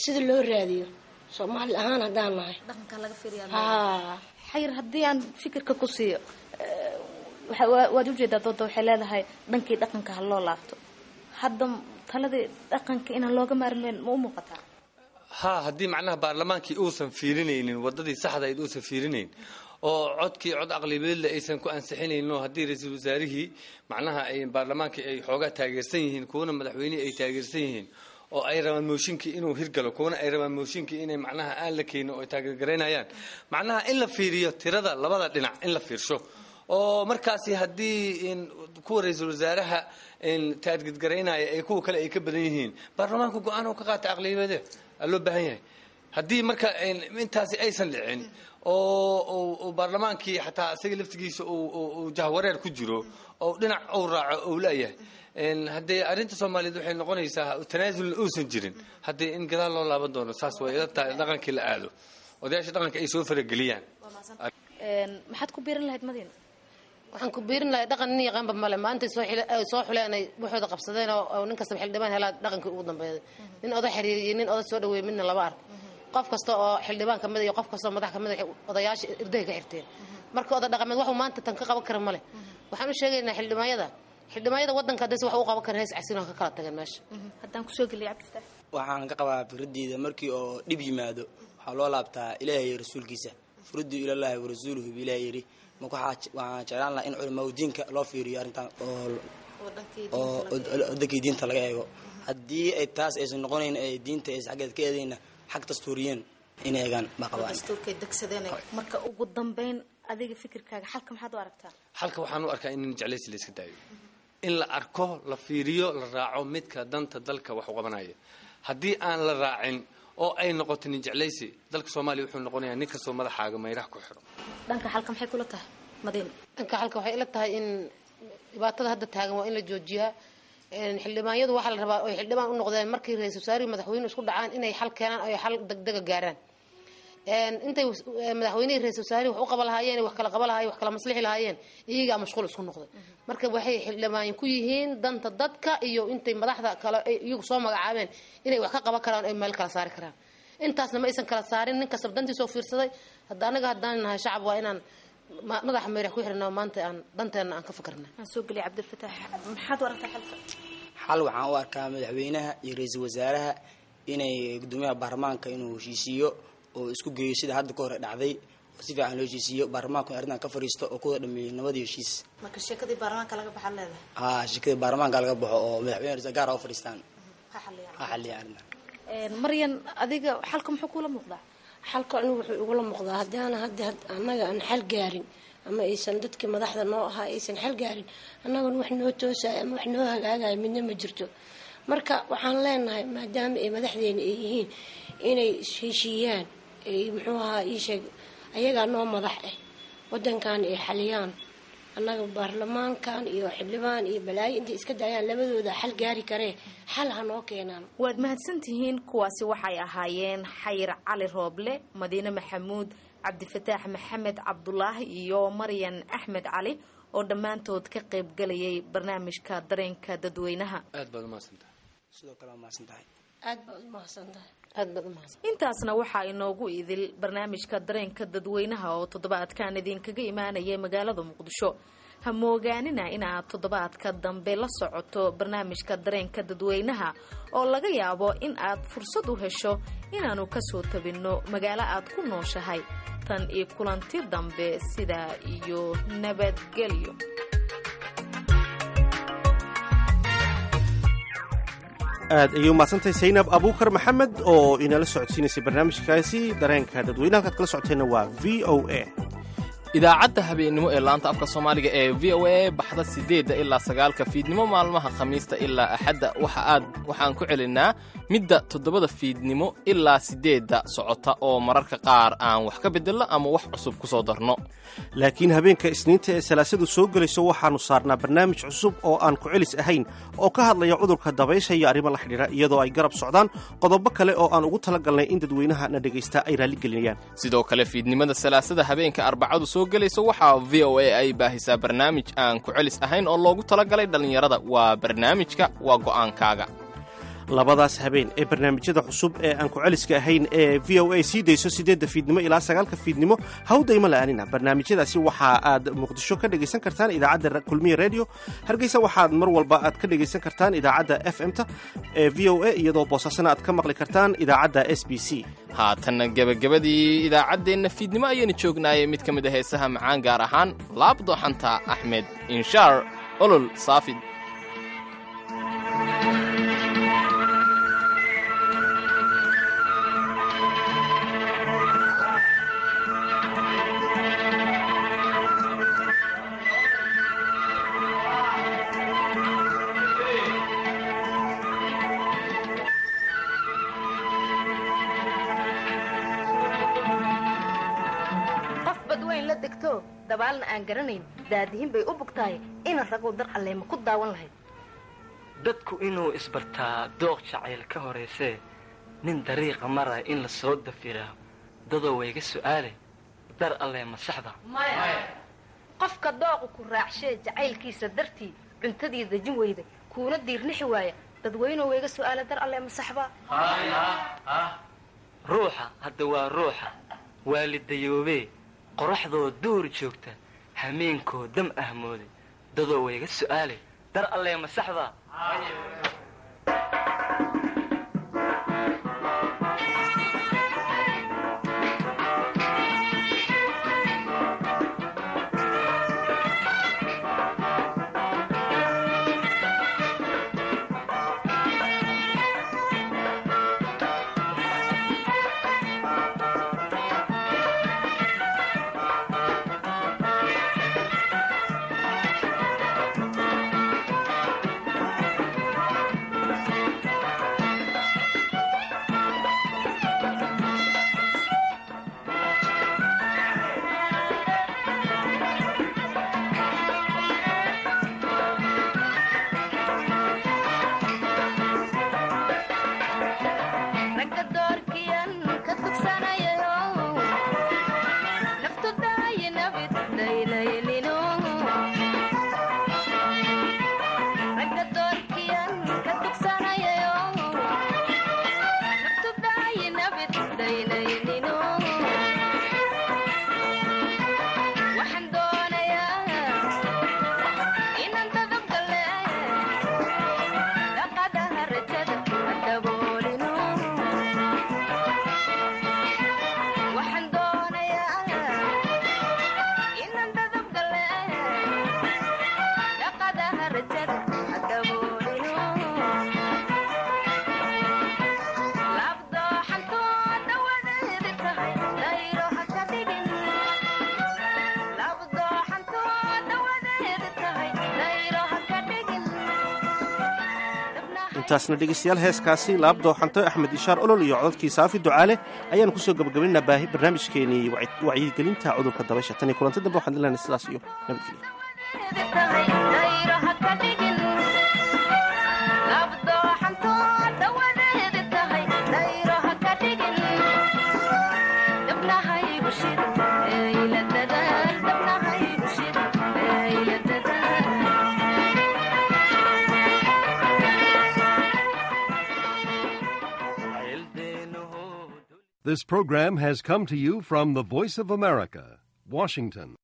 sida loo raadiyo Soomaali ahaan haddaan nahay. Dhaqanka laga fiiriyaa. Haa. Xayir, haddii aan fikirka ku siiyo, waad ujeedaa dooda waxay leedahay dhankii dhaqanka ha loo laabto. Hadda taladii dhaqanka inaan looga maarmeyn ma u muuqataa? Ha, haddii macnaha baarlamaankii uusan fiirinaynin wadadii saxda ayd uusan fiirinayn oo codkii cod aqlibeedle aysan ku ansixinaynin, oo haddii ra-iisul wasaarihii macnaha ay baarlamaankii ay xoogaa taageersan yihiin, kuwana madaxweynihii ay taageersan yihiin, oo ay rabaan mooshinkii inuu hirgalo, kuwana ay rabaan mooshinkii inay macnaha aan la keenin oo ay taageergaraynayaan, macnaha in la fiiriyo tirada labada dhinac in la fiirsho, oo markaasi haddii kuwa ra-iisul wasaaraha taargetgaraynaya ay kuwa kale ay ka badan yihiin, baarlamaanku go-aan uu ka qaata aqliyadeed aa loo baahan yahay. Haddii marka intaasi aysan dhicin oo baarlamaankii xataa isaga laftigiisa uu jahwareer ku jiro oo dhinac uu raaco uu leeyahay, haddii arrinta Soomaaliyeed waxay noqonaysaa tanaasulna uusan jirin, haddii in gadaal loo laaban doono, saas way ila tahay, dhaqankii la aado, odayaasha dhaqanka ay soo farageliyaan. Maxaad ku biirin lahayd, Madiina? Waxaan ku biirin lahay, dhaqan nin yaqaanba male. Maantay soo xuleen ay waxooda qabsadeen oo nin kastaba xildhibaan helaa dhaqankii ugu dambeeyay. Nin oda xiriiriyo, nin oda soo dhaweeyay midna lama arko. Qof kasta oo xildhibaan kamid iyo qof kasta oo madax kamid odayaasha irdahay ka xirteen. Marka oda dhaqameed waxuu maanta tan ka qaban kara male. Waxaan u sheegaynaa xildhibaanyada wadanka haddayse wax u qaban karin, hees casin oo ka kala tageen meesha. Haddaan kusoo geliya, Cabdifataax. Waxaan ka qabaa fikradeyda, markii oo dhib yimaado waxaa loo laabtaa Ilaahay iyo rasuulkiisa. Furuduu ilallaahi warasuuluhu bi Ilaah yidhi. Marka waxaan jeclaan lahaa in culamaa diinka loo fiiriyo arrintan oo wadankii diinta laga eego. Haddii ay taas aysan noqonayn, ay diinta aysan xaggeed ka eedayna, xag dastuuriyeen inay eegaan baa qabaan. Dastuurkay degsadeen. Marka ugu dambeyn, adiga fikirkaaga xalka maxaad u aragtaa? Xalka waxaan u arkaa in jeclaysi la iska daayo, in la arko, la fiiriyo, la raaco midka danta dalka wax u qabanaya. Haddii aan la raacin oo ay noqoto nin jeclaysi, dalka Soomaaliya wuxuu noqonayaa nin kastoo madaxaaga mayraha ku xiro. Dhanka xalka maxay kula tahay, Madiina? Dhanka xalka waxay ila tahay in dhibaatada hadda taagan waa in la joojiyaa. Xildhibaanyadu waxaa la rabaa oy xildhibaan u noqdeen markii ra-iisul wasaarihi madaxweynuhu isku dhacaan inay xal keenaan oo ay xal degdega gaaraan. Intay madaxweynihii ra-isul wasaarihi wax u qaban lahaayeen, wax kala qaban lahaayeen, wax kala maslixi lahaayeen, iyagaa mashquul isku noqday. Marka waxay xildhibaan ku yihiin danta dadka iyo intay madaxda kale iyagu soo magacaabeen inay wax ka qaban karaan, ay meel kala saari karaan. Intaasna ma aysan kala saarin, nin kastaba dantiisoo fiirsaday. Hadda anaga haddaan nahay shacab, waa inaan madaxa meyrax ku xirna, maanta aan danteena aan ka fikirna. Aan soo geliya Cabdilfataax, maxaad u aragtaa xalka? Xal waxaan u arkaa madaxweynaha iyo ra-iisul wasaaraha inay gudoomiyaha baarlamaanka inuu heshiisiiyo oo isku geeyo, sida hadda ka hore dhacday, oo si fiican loo heshiisiiyo, baarlamaanku in arrintan ka fariisto oo kuwada dhameeyo nabadii heshiis. Marka sheekadii baarlamaanka laga baxaa leedahay? Haa, sheekadii baarlamaanka laga baxo oo madaxweyne ra-iisul gaar ha u fadhiistaan. Ha xaliyaan. Ha xaliyaan arrintan. Maryan, adiga xalka muxuu kula muuqdaa? Xalka anigu wuxuu igula muuqdaa, haddaana hadda annaga aan xal gaarin ama aysan dadkii madaxda noo ahaa aysan xal gaarin, annaguna wax noo toosaya ama wax noo hagaagaya midna ma jirto. Marka waxaan leenahay, maadaama ay madaxdeena ay yihiin, inay heshiiyaan, ay, muxuu ahaa, ii sheeg, ayagaa noo madax ah, wadankan ay xaliyaan. Annaga baarlamaankan iyo xildhibaan iyo balaayo intay iska daayaan, labadooda xal gaari karee, xal ha noo keenaan. Waad mahadsantihiin. Kuwaasi waxay ahaayeen Xayir Cali Rooble, Madiine Maxamuud, Cabdifataax Maxamed Cabdulaahi iyo Maryan Axmed Cali oo dhammaantood ka qayb galayay barnaamijka dareenka dadweynaha. Aad baad umahadsantahay. Sidoo kale waa mahadsan tahay. Aad baad u mahadsan tahay. Aad baad umahadsan. Intaasna waxaa inoogu idil barnaamijka dareenka dadweynaha oo toddobaadkan idinkaga imaanaya magaalada Muqdisho. Ha moogaanina inaad toddobaadka dambe la socoto barnaamijka dareenka dadweynaha oo laga yaabo in aad fursad u hesho inaannu kasoo tabinno magaalo aad ku nooshahay. Tan iyo kulanti dambe, sidaa iyo nabadgelyo. Aad ayay umahadsantahay Saynab Abuukar Maxamed oo inala socodsiinaysay barnaamijkaasi dareenka dadweynaha. Halkaad kala socoteenna waa VOA. Idaacadda habeennimo ee laanta afka Soomaaliga ee VOA baxda 8 ilaa 9 fiidnimo maalmaha Khamiista ilaa Axadda, waxa aad waxaan ku celinaa midda 7 fiidnimo ilaa 8 socota, oo mararka qaar aan wax ka bedelno ama wax cusub ku soo darno. Laakiin habeenka Isniinta ee Salaasadu soo gelayso waxaannu saarnaa barnaamij cusub oo aan ku celis ahayn oo ka hadlaya cudurka dabaysha iyo arrimo la xidhiidha, iyadoo ay garab socdaan qodobo kale oo aan ugu talagalnay in dadweynaha na dhegaysta ay raalligelinayaan. Sidoo kale, fiidnimada Salaasada habeenka Arbacadu soo gelayso waxaa VOA ay baahisaa barnaamij aan ku celis ahayn oo loogu talagalay dhallinyarada. Waa barnaamijka Waa Go'aankaaga. Labadaas habeen ee barnaamijyada cusub ee aan ku celiska ahayn ee VOA sii dayso 8 fiidnimo ilaa 9 fiidnimo hawdayma la'aanina. Barnaamijyadaasi waxa aad Muqdisho ka dhegaysan kartaan idaacadda Kulmiye Radio. Hargeysa waxaad mar walba aad ka dhegaysan kartaan idaacadda FM-ta ee VOA, iyadoo Boosaasana aad ka maqli kartaan idaacadda SBC. Haatanna gebagabadii idaacaddeenna fiidnimo ayaynu joognaayay. Mid ka mid a heesaha macaan, gaar ahaan Laabdooxanta, Axmed Inshaar Olol, Saafid. Qof badweyn la degto, dabaalna aan garanayn, daadihin bay u bugtahay ina raguu dar alleema ku daawan lahayd. Dadku inuu isbartaa dooq jacayl ka horaysee, nin dariiqa maraya in la soo dafiraa, dadoo wayga su'aale, dar allee ma saxda? Qofka dooqu ku raacshee, jacaylkiisa dartii cuntadii dejin weyda, kuuna diirnixi waaya, dadweynuhu wayga su'aala, dar alle ma saxba? Ruuxa hadda waa ruuxa waalidayoobee, qoraxdoo duur joogta, hameenkoo dam ahmooday, dadoo wayga su'aale, dar allee ma saxda? Ragga doorkiyan ka tugsanayayo, naftu daayinabid daylaylino. Ragga doorkiyan ka tugsanayayo, naftu daayinabid daylaylino. Waxaan doonayaa inaan dadab gale, dhaqadaha rajada ha daboolino. Waxaan doonayaa inaan dadab gale, dhaqadaha rajada ha daboolino. Laabdooxantoo dawadeedi tahay, dayro ha ka dhigin. Laabdooxantoo dawadeedi tahay, dayro ha ka dhigin. Intaasna dhegaystayaal, heeskaasi Laabdooxanto, Axmed Ishaar Olol iyo codadkii Saafi Ducaale ayaanu kusoo gabagabaynaa baahi barnaamijkeenii wacyigelinta cudurka dabaysha. Tan iyo kulanti dambe waxaan dilahnay sidaas iyo nabadgelyo. Dayro ha ka dhigin. Laabdooxantoo dawadeedi tahay, dayro ha ka dhigin. Dabnahaygu shid ee ila dadaal, dabnahaygu shid ee ila dadaal. Jacayldeenu. This program has come to you from the Voice of America, Washington.